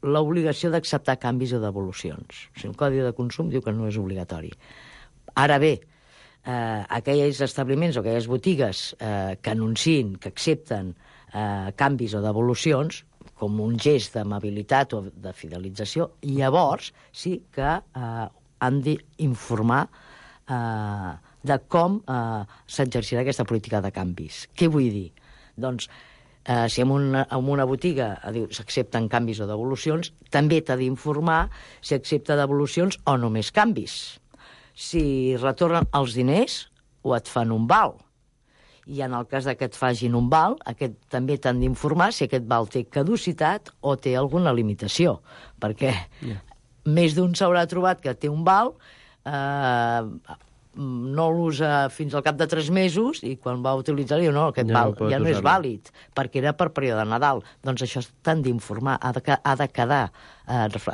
l'obligació d'acceptar canvis o devolucions. O sigui, el Codi de Consum diu que no és obligatori. Ara bé, aquells establiments o aquelles botigues que anunciïn, que accepten canvis o devolucions, com un gest d'amabilitat o de fidelització, llavors sí que han d'informar de com s'exercirà aquesta política de canvis. Què vull dir? Doncs, si en una botiga s'accepten canvis o devolucions, també t'ha d'informar si accepta devolucions o només canvis. Si retornen els diners o et fan un val. I en el cas que et facin un val, també t'han d'informar si aquest val té caducitat o té alguna limitació. Perquè més d'un s'haurà trobat que té un val, no l'usa fins al cap de 3 mesos i quan va utilitzar diu no, aquest val ja no és vàlid, perquè era per període de Nadal. Doncs això t'han d'informar, ha de quedar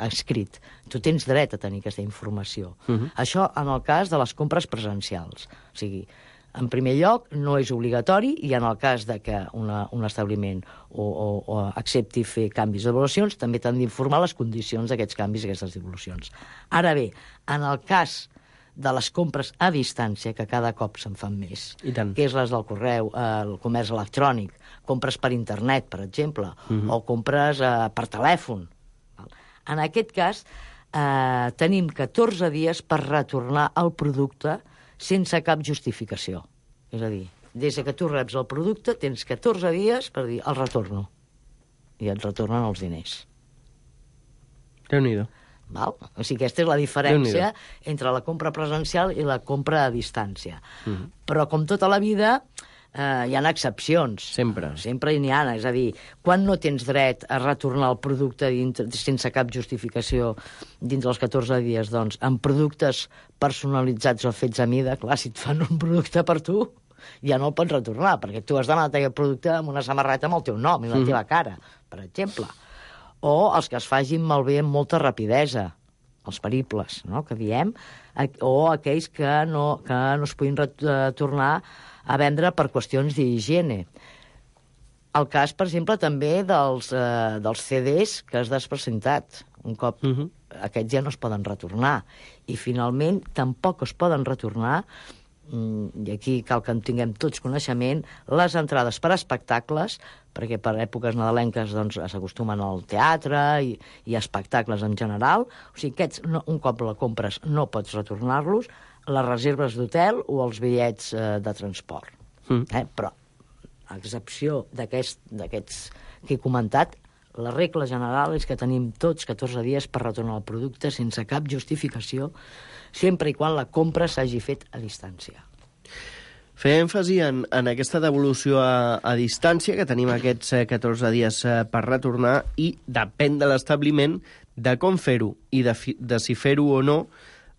escrit. Tu tens dret a tenir aquesta informació. Això en el cas de les compres presencials. O sigui, en primer lloc, no és obligatori i en el cas de que un establiment o accepti fer canvis de devolucions, també t'han d'informar les condicions d'aquests canvis i aquestes devolucions. Ara bé, en el cas de les compres a distància, que cada cop se'n fan més, que és les del correu, el comerç electrònic, compres per internet, per exemple, o compres per telèfon. En aquest cas, tenim 14 dies per retornar el producte sense cap justificació. És a dir, des que tu reps el producte, tens 14 dies per dir el retorno. I et retornen els diners. Déu-n'hi-do. Val? O sigui, aquesta és la diferència entre la compra presencial i la compra a distància. Però, com tota la vida, hi ha excepcions. Sempre. Sempre n'hi ha. És a dir, quan no tens dret a retornar el producte sense cap justificació dins dels 14 dies? Doncs en productes personalitzats o fets a mida, clar, si et fan un producte per tu, ja no el pots retornar, perquè tu has demanat aquest producte amb una samarreta amb el teu nom i la teva cara, per exemple. O els que es facin malbé amb molta rapidesa, els peribles, no?, que diem, o aquells que no es puguin tornar a vendre per qüestions d'higiene. El cas, per exemple, també dels CDs que has despresentat. Un cop aquests ja no es poden retornar. I, finalment, tampoc es poden retornar, i aquí cal que en tinguem tots coneixement, les entrades per espectacles, perquè per èpoques nadalenques s'acostumen al teatre i a espectacles en general. O sigui, aquests, un cop la compres, no pots retornar-los, les reserves d'hotel o els bitllets de transport. Però, a excepció d'aquests que he comentat, la regla general és que tenim tots 14 dies per retornar el producte sense cap justificació, sempre i quan la compra s'hagi fet a distància. Fer èmfasi en aquesta devolució a distància, que tenim aquests 14 dies per retornar, i depèn de l'establiment de com fer-ho i de si fer-ho o no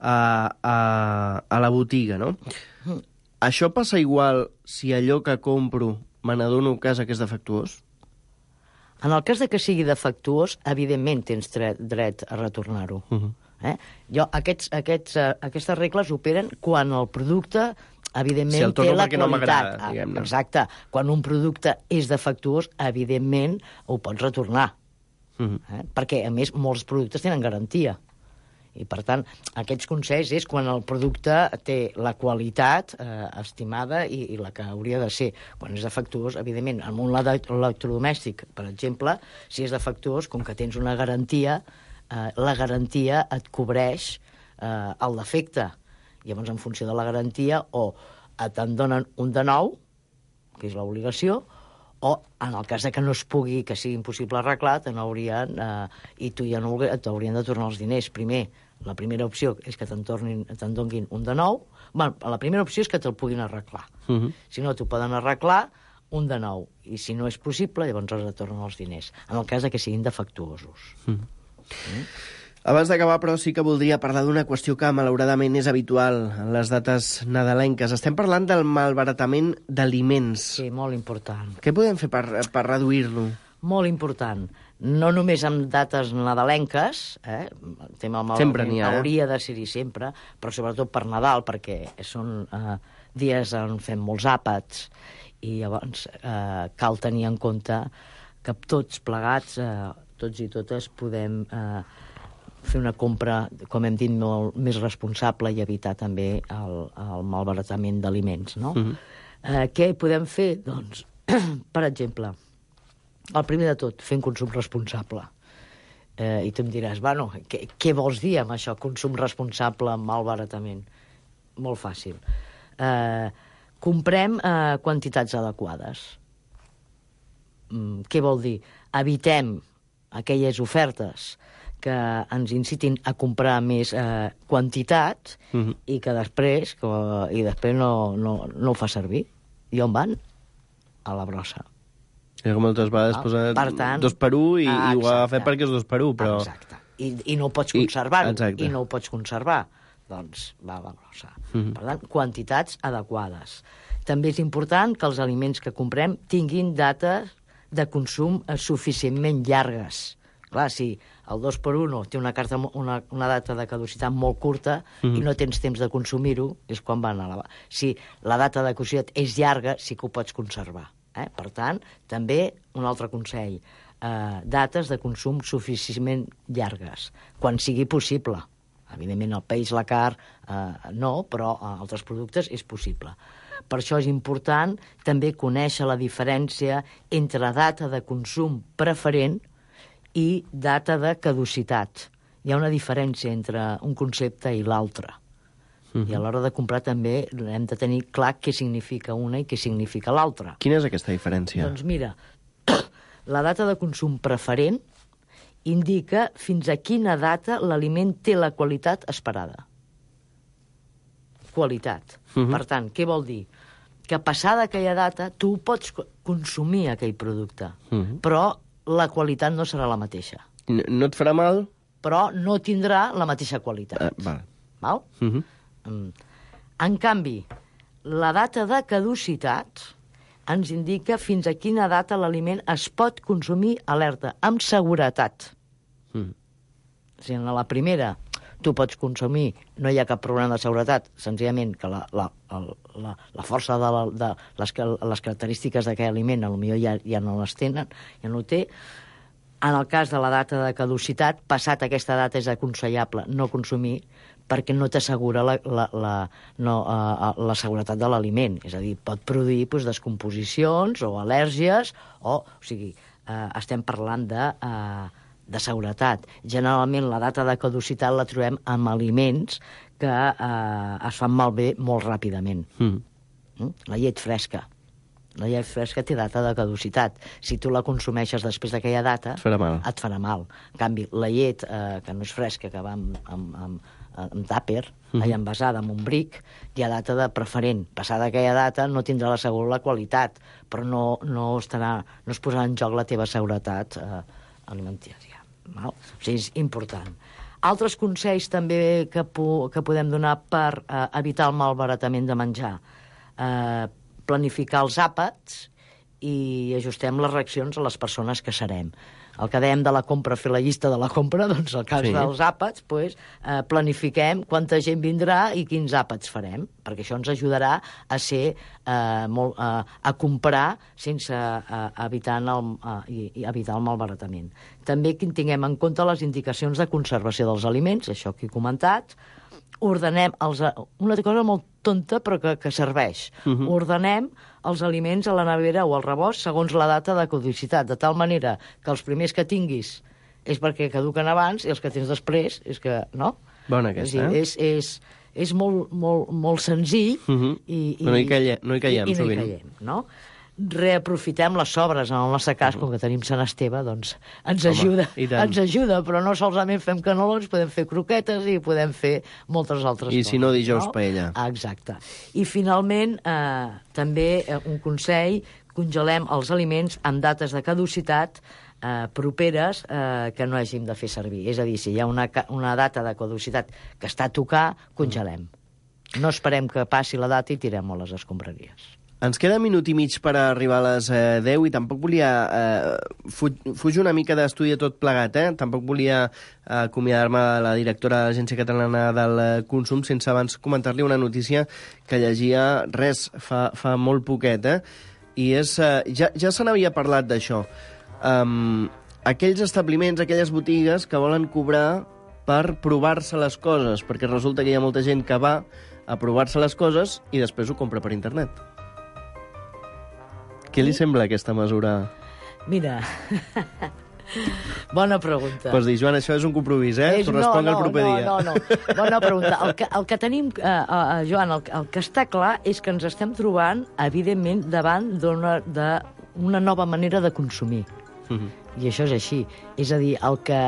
a la botiga, no? Això passa igual si allò que compro me n'adono a casa que és defectuós? En el cas de que sigui defectuós, evidentment tens dret a retornar-ho. Aquestes regles operen quan el producte, evidentment, té la qualitat. Exacte. Quan un producte és defectuós, evidentment, ho pots retornar. Perquè, a més, molts productes tenen garantia. I, per tant, aquests consells és quan el producte té la qualitat estimada i la que hauria de ser. Quan és defectuós, evidentment, en un electrodomèstic, per exemple, si és defectuós, com que tens una garantia, la garantia et cobreix el defecte. Llavors, en funció de la garantia, o te'n donen un de nou, que és l'obligació, o, en el cas que no es pugui, que sigui impossible arreglar, i tu ja no t'haurien de tornar els diners. Primer, la primera opció és que te'n donguin un de nou. Bueno, la primera opció és que te'l puguin arreglar. Si no, t'ho poden arreglar un de nou. I si no és possible, llavors es retornen els diners, en el cas que siguin defectuosos. Abans d'acabar, però, sí que voldria parlar d'una qüestió que, malauradament, és habitual en les dates nadalenques. Estem parlant del malbaratament d'aliments. Sí, molt important. Què podem fer per reduir-lo? Molt important. No només en dates nadalenques, el tema malbaratament hauria de ser-hi sempre, però sobretot per Nadal, perquè són dies on fem molts àpats, i llavors cal tenir en compte que tots plegats, tots i totes, podem fer una compra, com hem dit, molt més responsable i evitar també el malbaratament d'aliments, no? Què podem fer? Doncs, per exemple, el primer de tot, fer un consum responsable. I tu em diràs, bueno, què vols dir amb això, consum responsable, malbaratament? Molt fàcil. comprem quantitats adequades. Què vol dir? Evitem aquelles ofertes que ens incitin a comprar més quantitat i que després no ho fa servir. I on van? A la brossa. Que moltes vegades posa 2 per 1 i ho ha fet perquè és 2 per 1, però... Exacte. I no ho pots conservar. I no ho pots conservar. Doncs va a la brossa. Per tant, quantitats adequades. També és important que els aliments que comprem tinguin dates de consum suficientment llargues. Clar, si el 2x1 té una data de caducitat molt curta i no tens temps de consumir-ho, és quan van a la... Si la data de caducitat és llarga, sí que ho pots conservar. Per tant, també un altre consell, dates de consum suficientment llargues, quan sigui possible. Evidentment, el peix, la carn, no, però altres productes és possible. Per això és important també conèixer la diferència entre data de consum preferent i data de caducitat. Hi ha una diferència entre un concepte i l'altre. I a l'hora de comprar també hem de tenir clar què significa una i què significa l'altra. Quina és aquesta diferència? Doncs mira, la data de consum preferent indica fins a quina data l'aliment té la qualitat esperada. Qualitat. Per tant, què vol dir? Que passada aquella data tu pots consumir aquell producte, però la qualitat no serà la mateixa. No et farà mal? Però no tindrà la mateixa qualitat. Val? En canvi, la data de caducitat ens indica fins a quina data l'aliment es pot consumir, alerta, amb seguretat. Si en la primera tu pots consumir, no hi ha cap problema de seguretat, senzillament que la força de les característiques d'aquell aliment potser ja no les tenen, ja no ho té. En el cas de la data de caducitat, passat aquesta data és aconsellable no consumir perquè no t'assegura la seguretat de l'aliment. És a dir, pot produir descomposicions o al·lèrgies, o sigui, estem parlant de seguretat. Generalment la data de caducitat la trobem amb aliments que es fan malbé molt ràpidament. La llet fresca. La llet fresca té data de caducitat. Si tu la consumeixes després d'aquella data, et farà mal. En canvi, la llet que no és fresca, que va amb tàper, envasada amb un bric, hi ha data de preferent. Passada aquella data no tindrà la qualitat, però no es posarà en joc la teva seguretat alimentària. O sigui, és important. Altres consells també que podem donar per evitar el malbaratament de menjar. Planificar els àpats i ajustem les reaccions a les persones que serem. El que dèiem de la compra, fer la llista de la compra, doncs el cas dels àpats, planifiquem quanta gent vindrà i quins àpats farem, perquè això ens ajudarà a comprar sense evitar el malbaratament. També que tinguem en compte les indicacions de conservació dels aliments, això que he comentat. Ordenem una cosa molt tonta però que serveix. Ordenem els aliments a la nevera o al rebost segons la data de caducitat, de tal manera que els primers que tinguis és perquè caduquen abans i els que tens després és que no. Bona aquesta, és molt senzill i no hi caiem sovint. No? Reaprofitem les sobres, en el nostre cas, com que tenim Sant Esteve, doncs ens ajuda, però no solament fem canolons, podem fer croquetes i podem fer moltes altres coses. I si no, dijous paella. Exacte. I finalment, també un consell, congelem els aliments amb dates de caducitat properes que no hàgim de fer servir. És a dir, si hi ha una data de caducitat que està a tocar, congelem. No esperem que passi la data i tirem-ho a les escombraries. Ens queda minut i mig per arribar a les 10 i tampoc volia fugir una mica d'estudi tot plegat, Tampoc volia acomiadar-me de la directora de l'Agència Catalana del Consum sense abans comentar-li una notícia que llegia fa molt poquet, i és... Ja se n'havia parlat d'això. Aquells establiments, aquelles botigues que volen cobrar per provar-se les coses, perquè resulta que hi ha molta gent que va a provar-se les coses i després ho compra per internet. Què li sembla aquesta mesura? Mira, Bona pregunta. Pots dir, Joan, això és un compromís, T'ho responc el proper dia. No. Bona pregunta. El que tenim, Joan, el que està clar és que ens estem trobant, evidentment, davant d'una nova manera de consumir. I això és així. És a dir, el que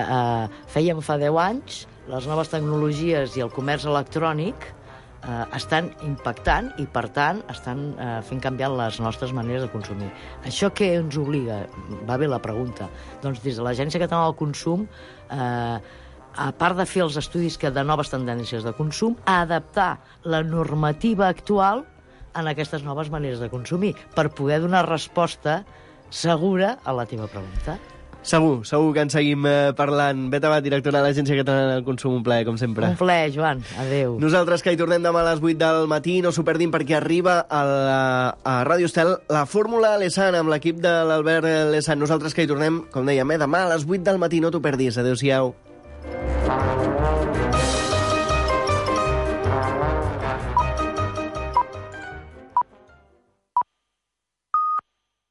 fèiem fa 10 anys, les noves tecnologies i el comerç electrònic estan impactant i, per tant, estan fent canviar les nostres maneres de consumir. Això què ens obliga? Va bé la pregunta. Doncs des de l'Agència Catalana del Consum, a part de fer els estudis de noves tendències de consum, a adaptar la normativa actual en aquestes noves maneres de consumir per poder donar resposta segura a la teva pregunta. Segur que en seguim parlant. Bet Abad, directora de l'Agència Catalana del Consum, un plaer, com sempre. Un plaer, Joan. Adéu. Nosaltres que hi tornem demà a les 8 del matí, no s'ho perdin perquè arriba a Ràdio Estel la Fórmula Lesan amb l'equip de l'Albert Lesan. Nosaltres que hi tornem, com dèiem, demà a les 8 del matí, no t'ho perdis. Adéu-siau.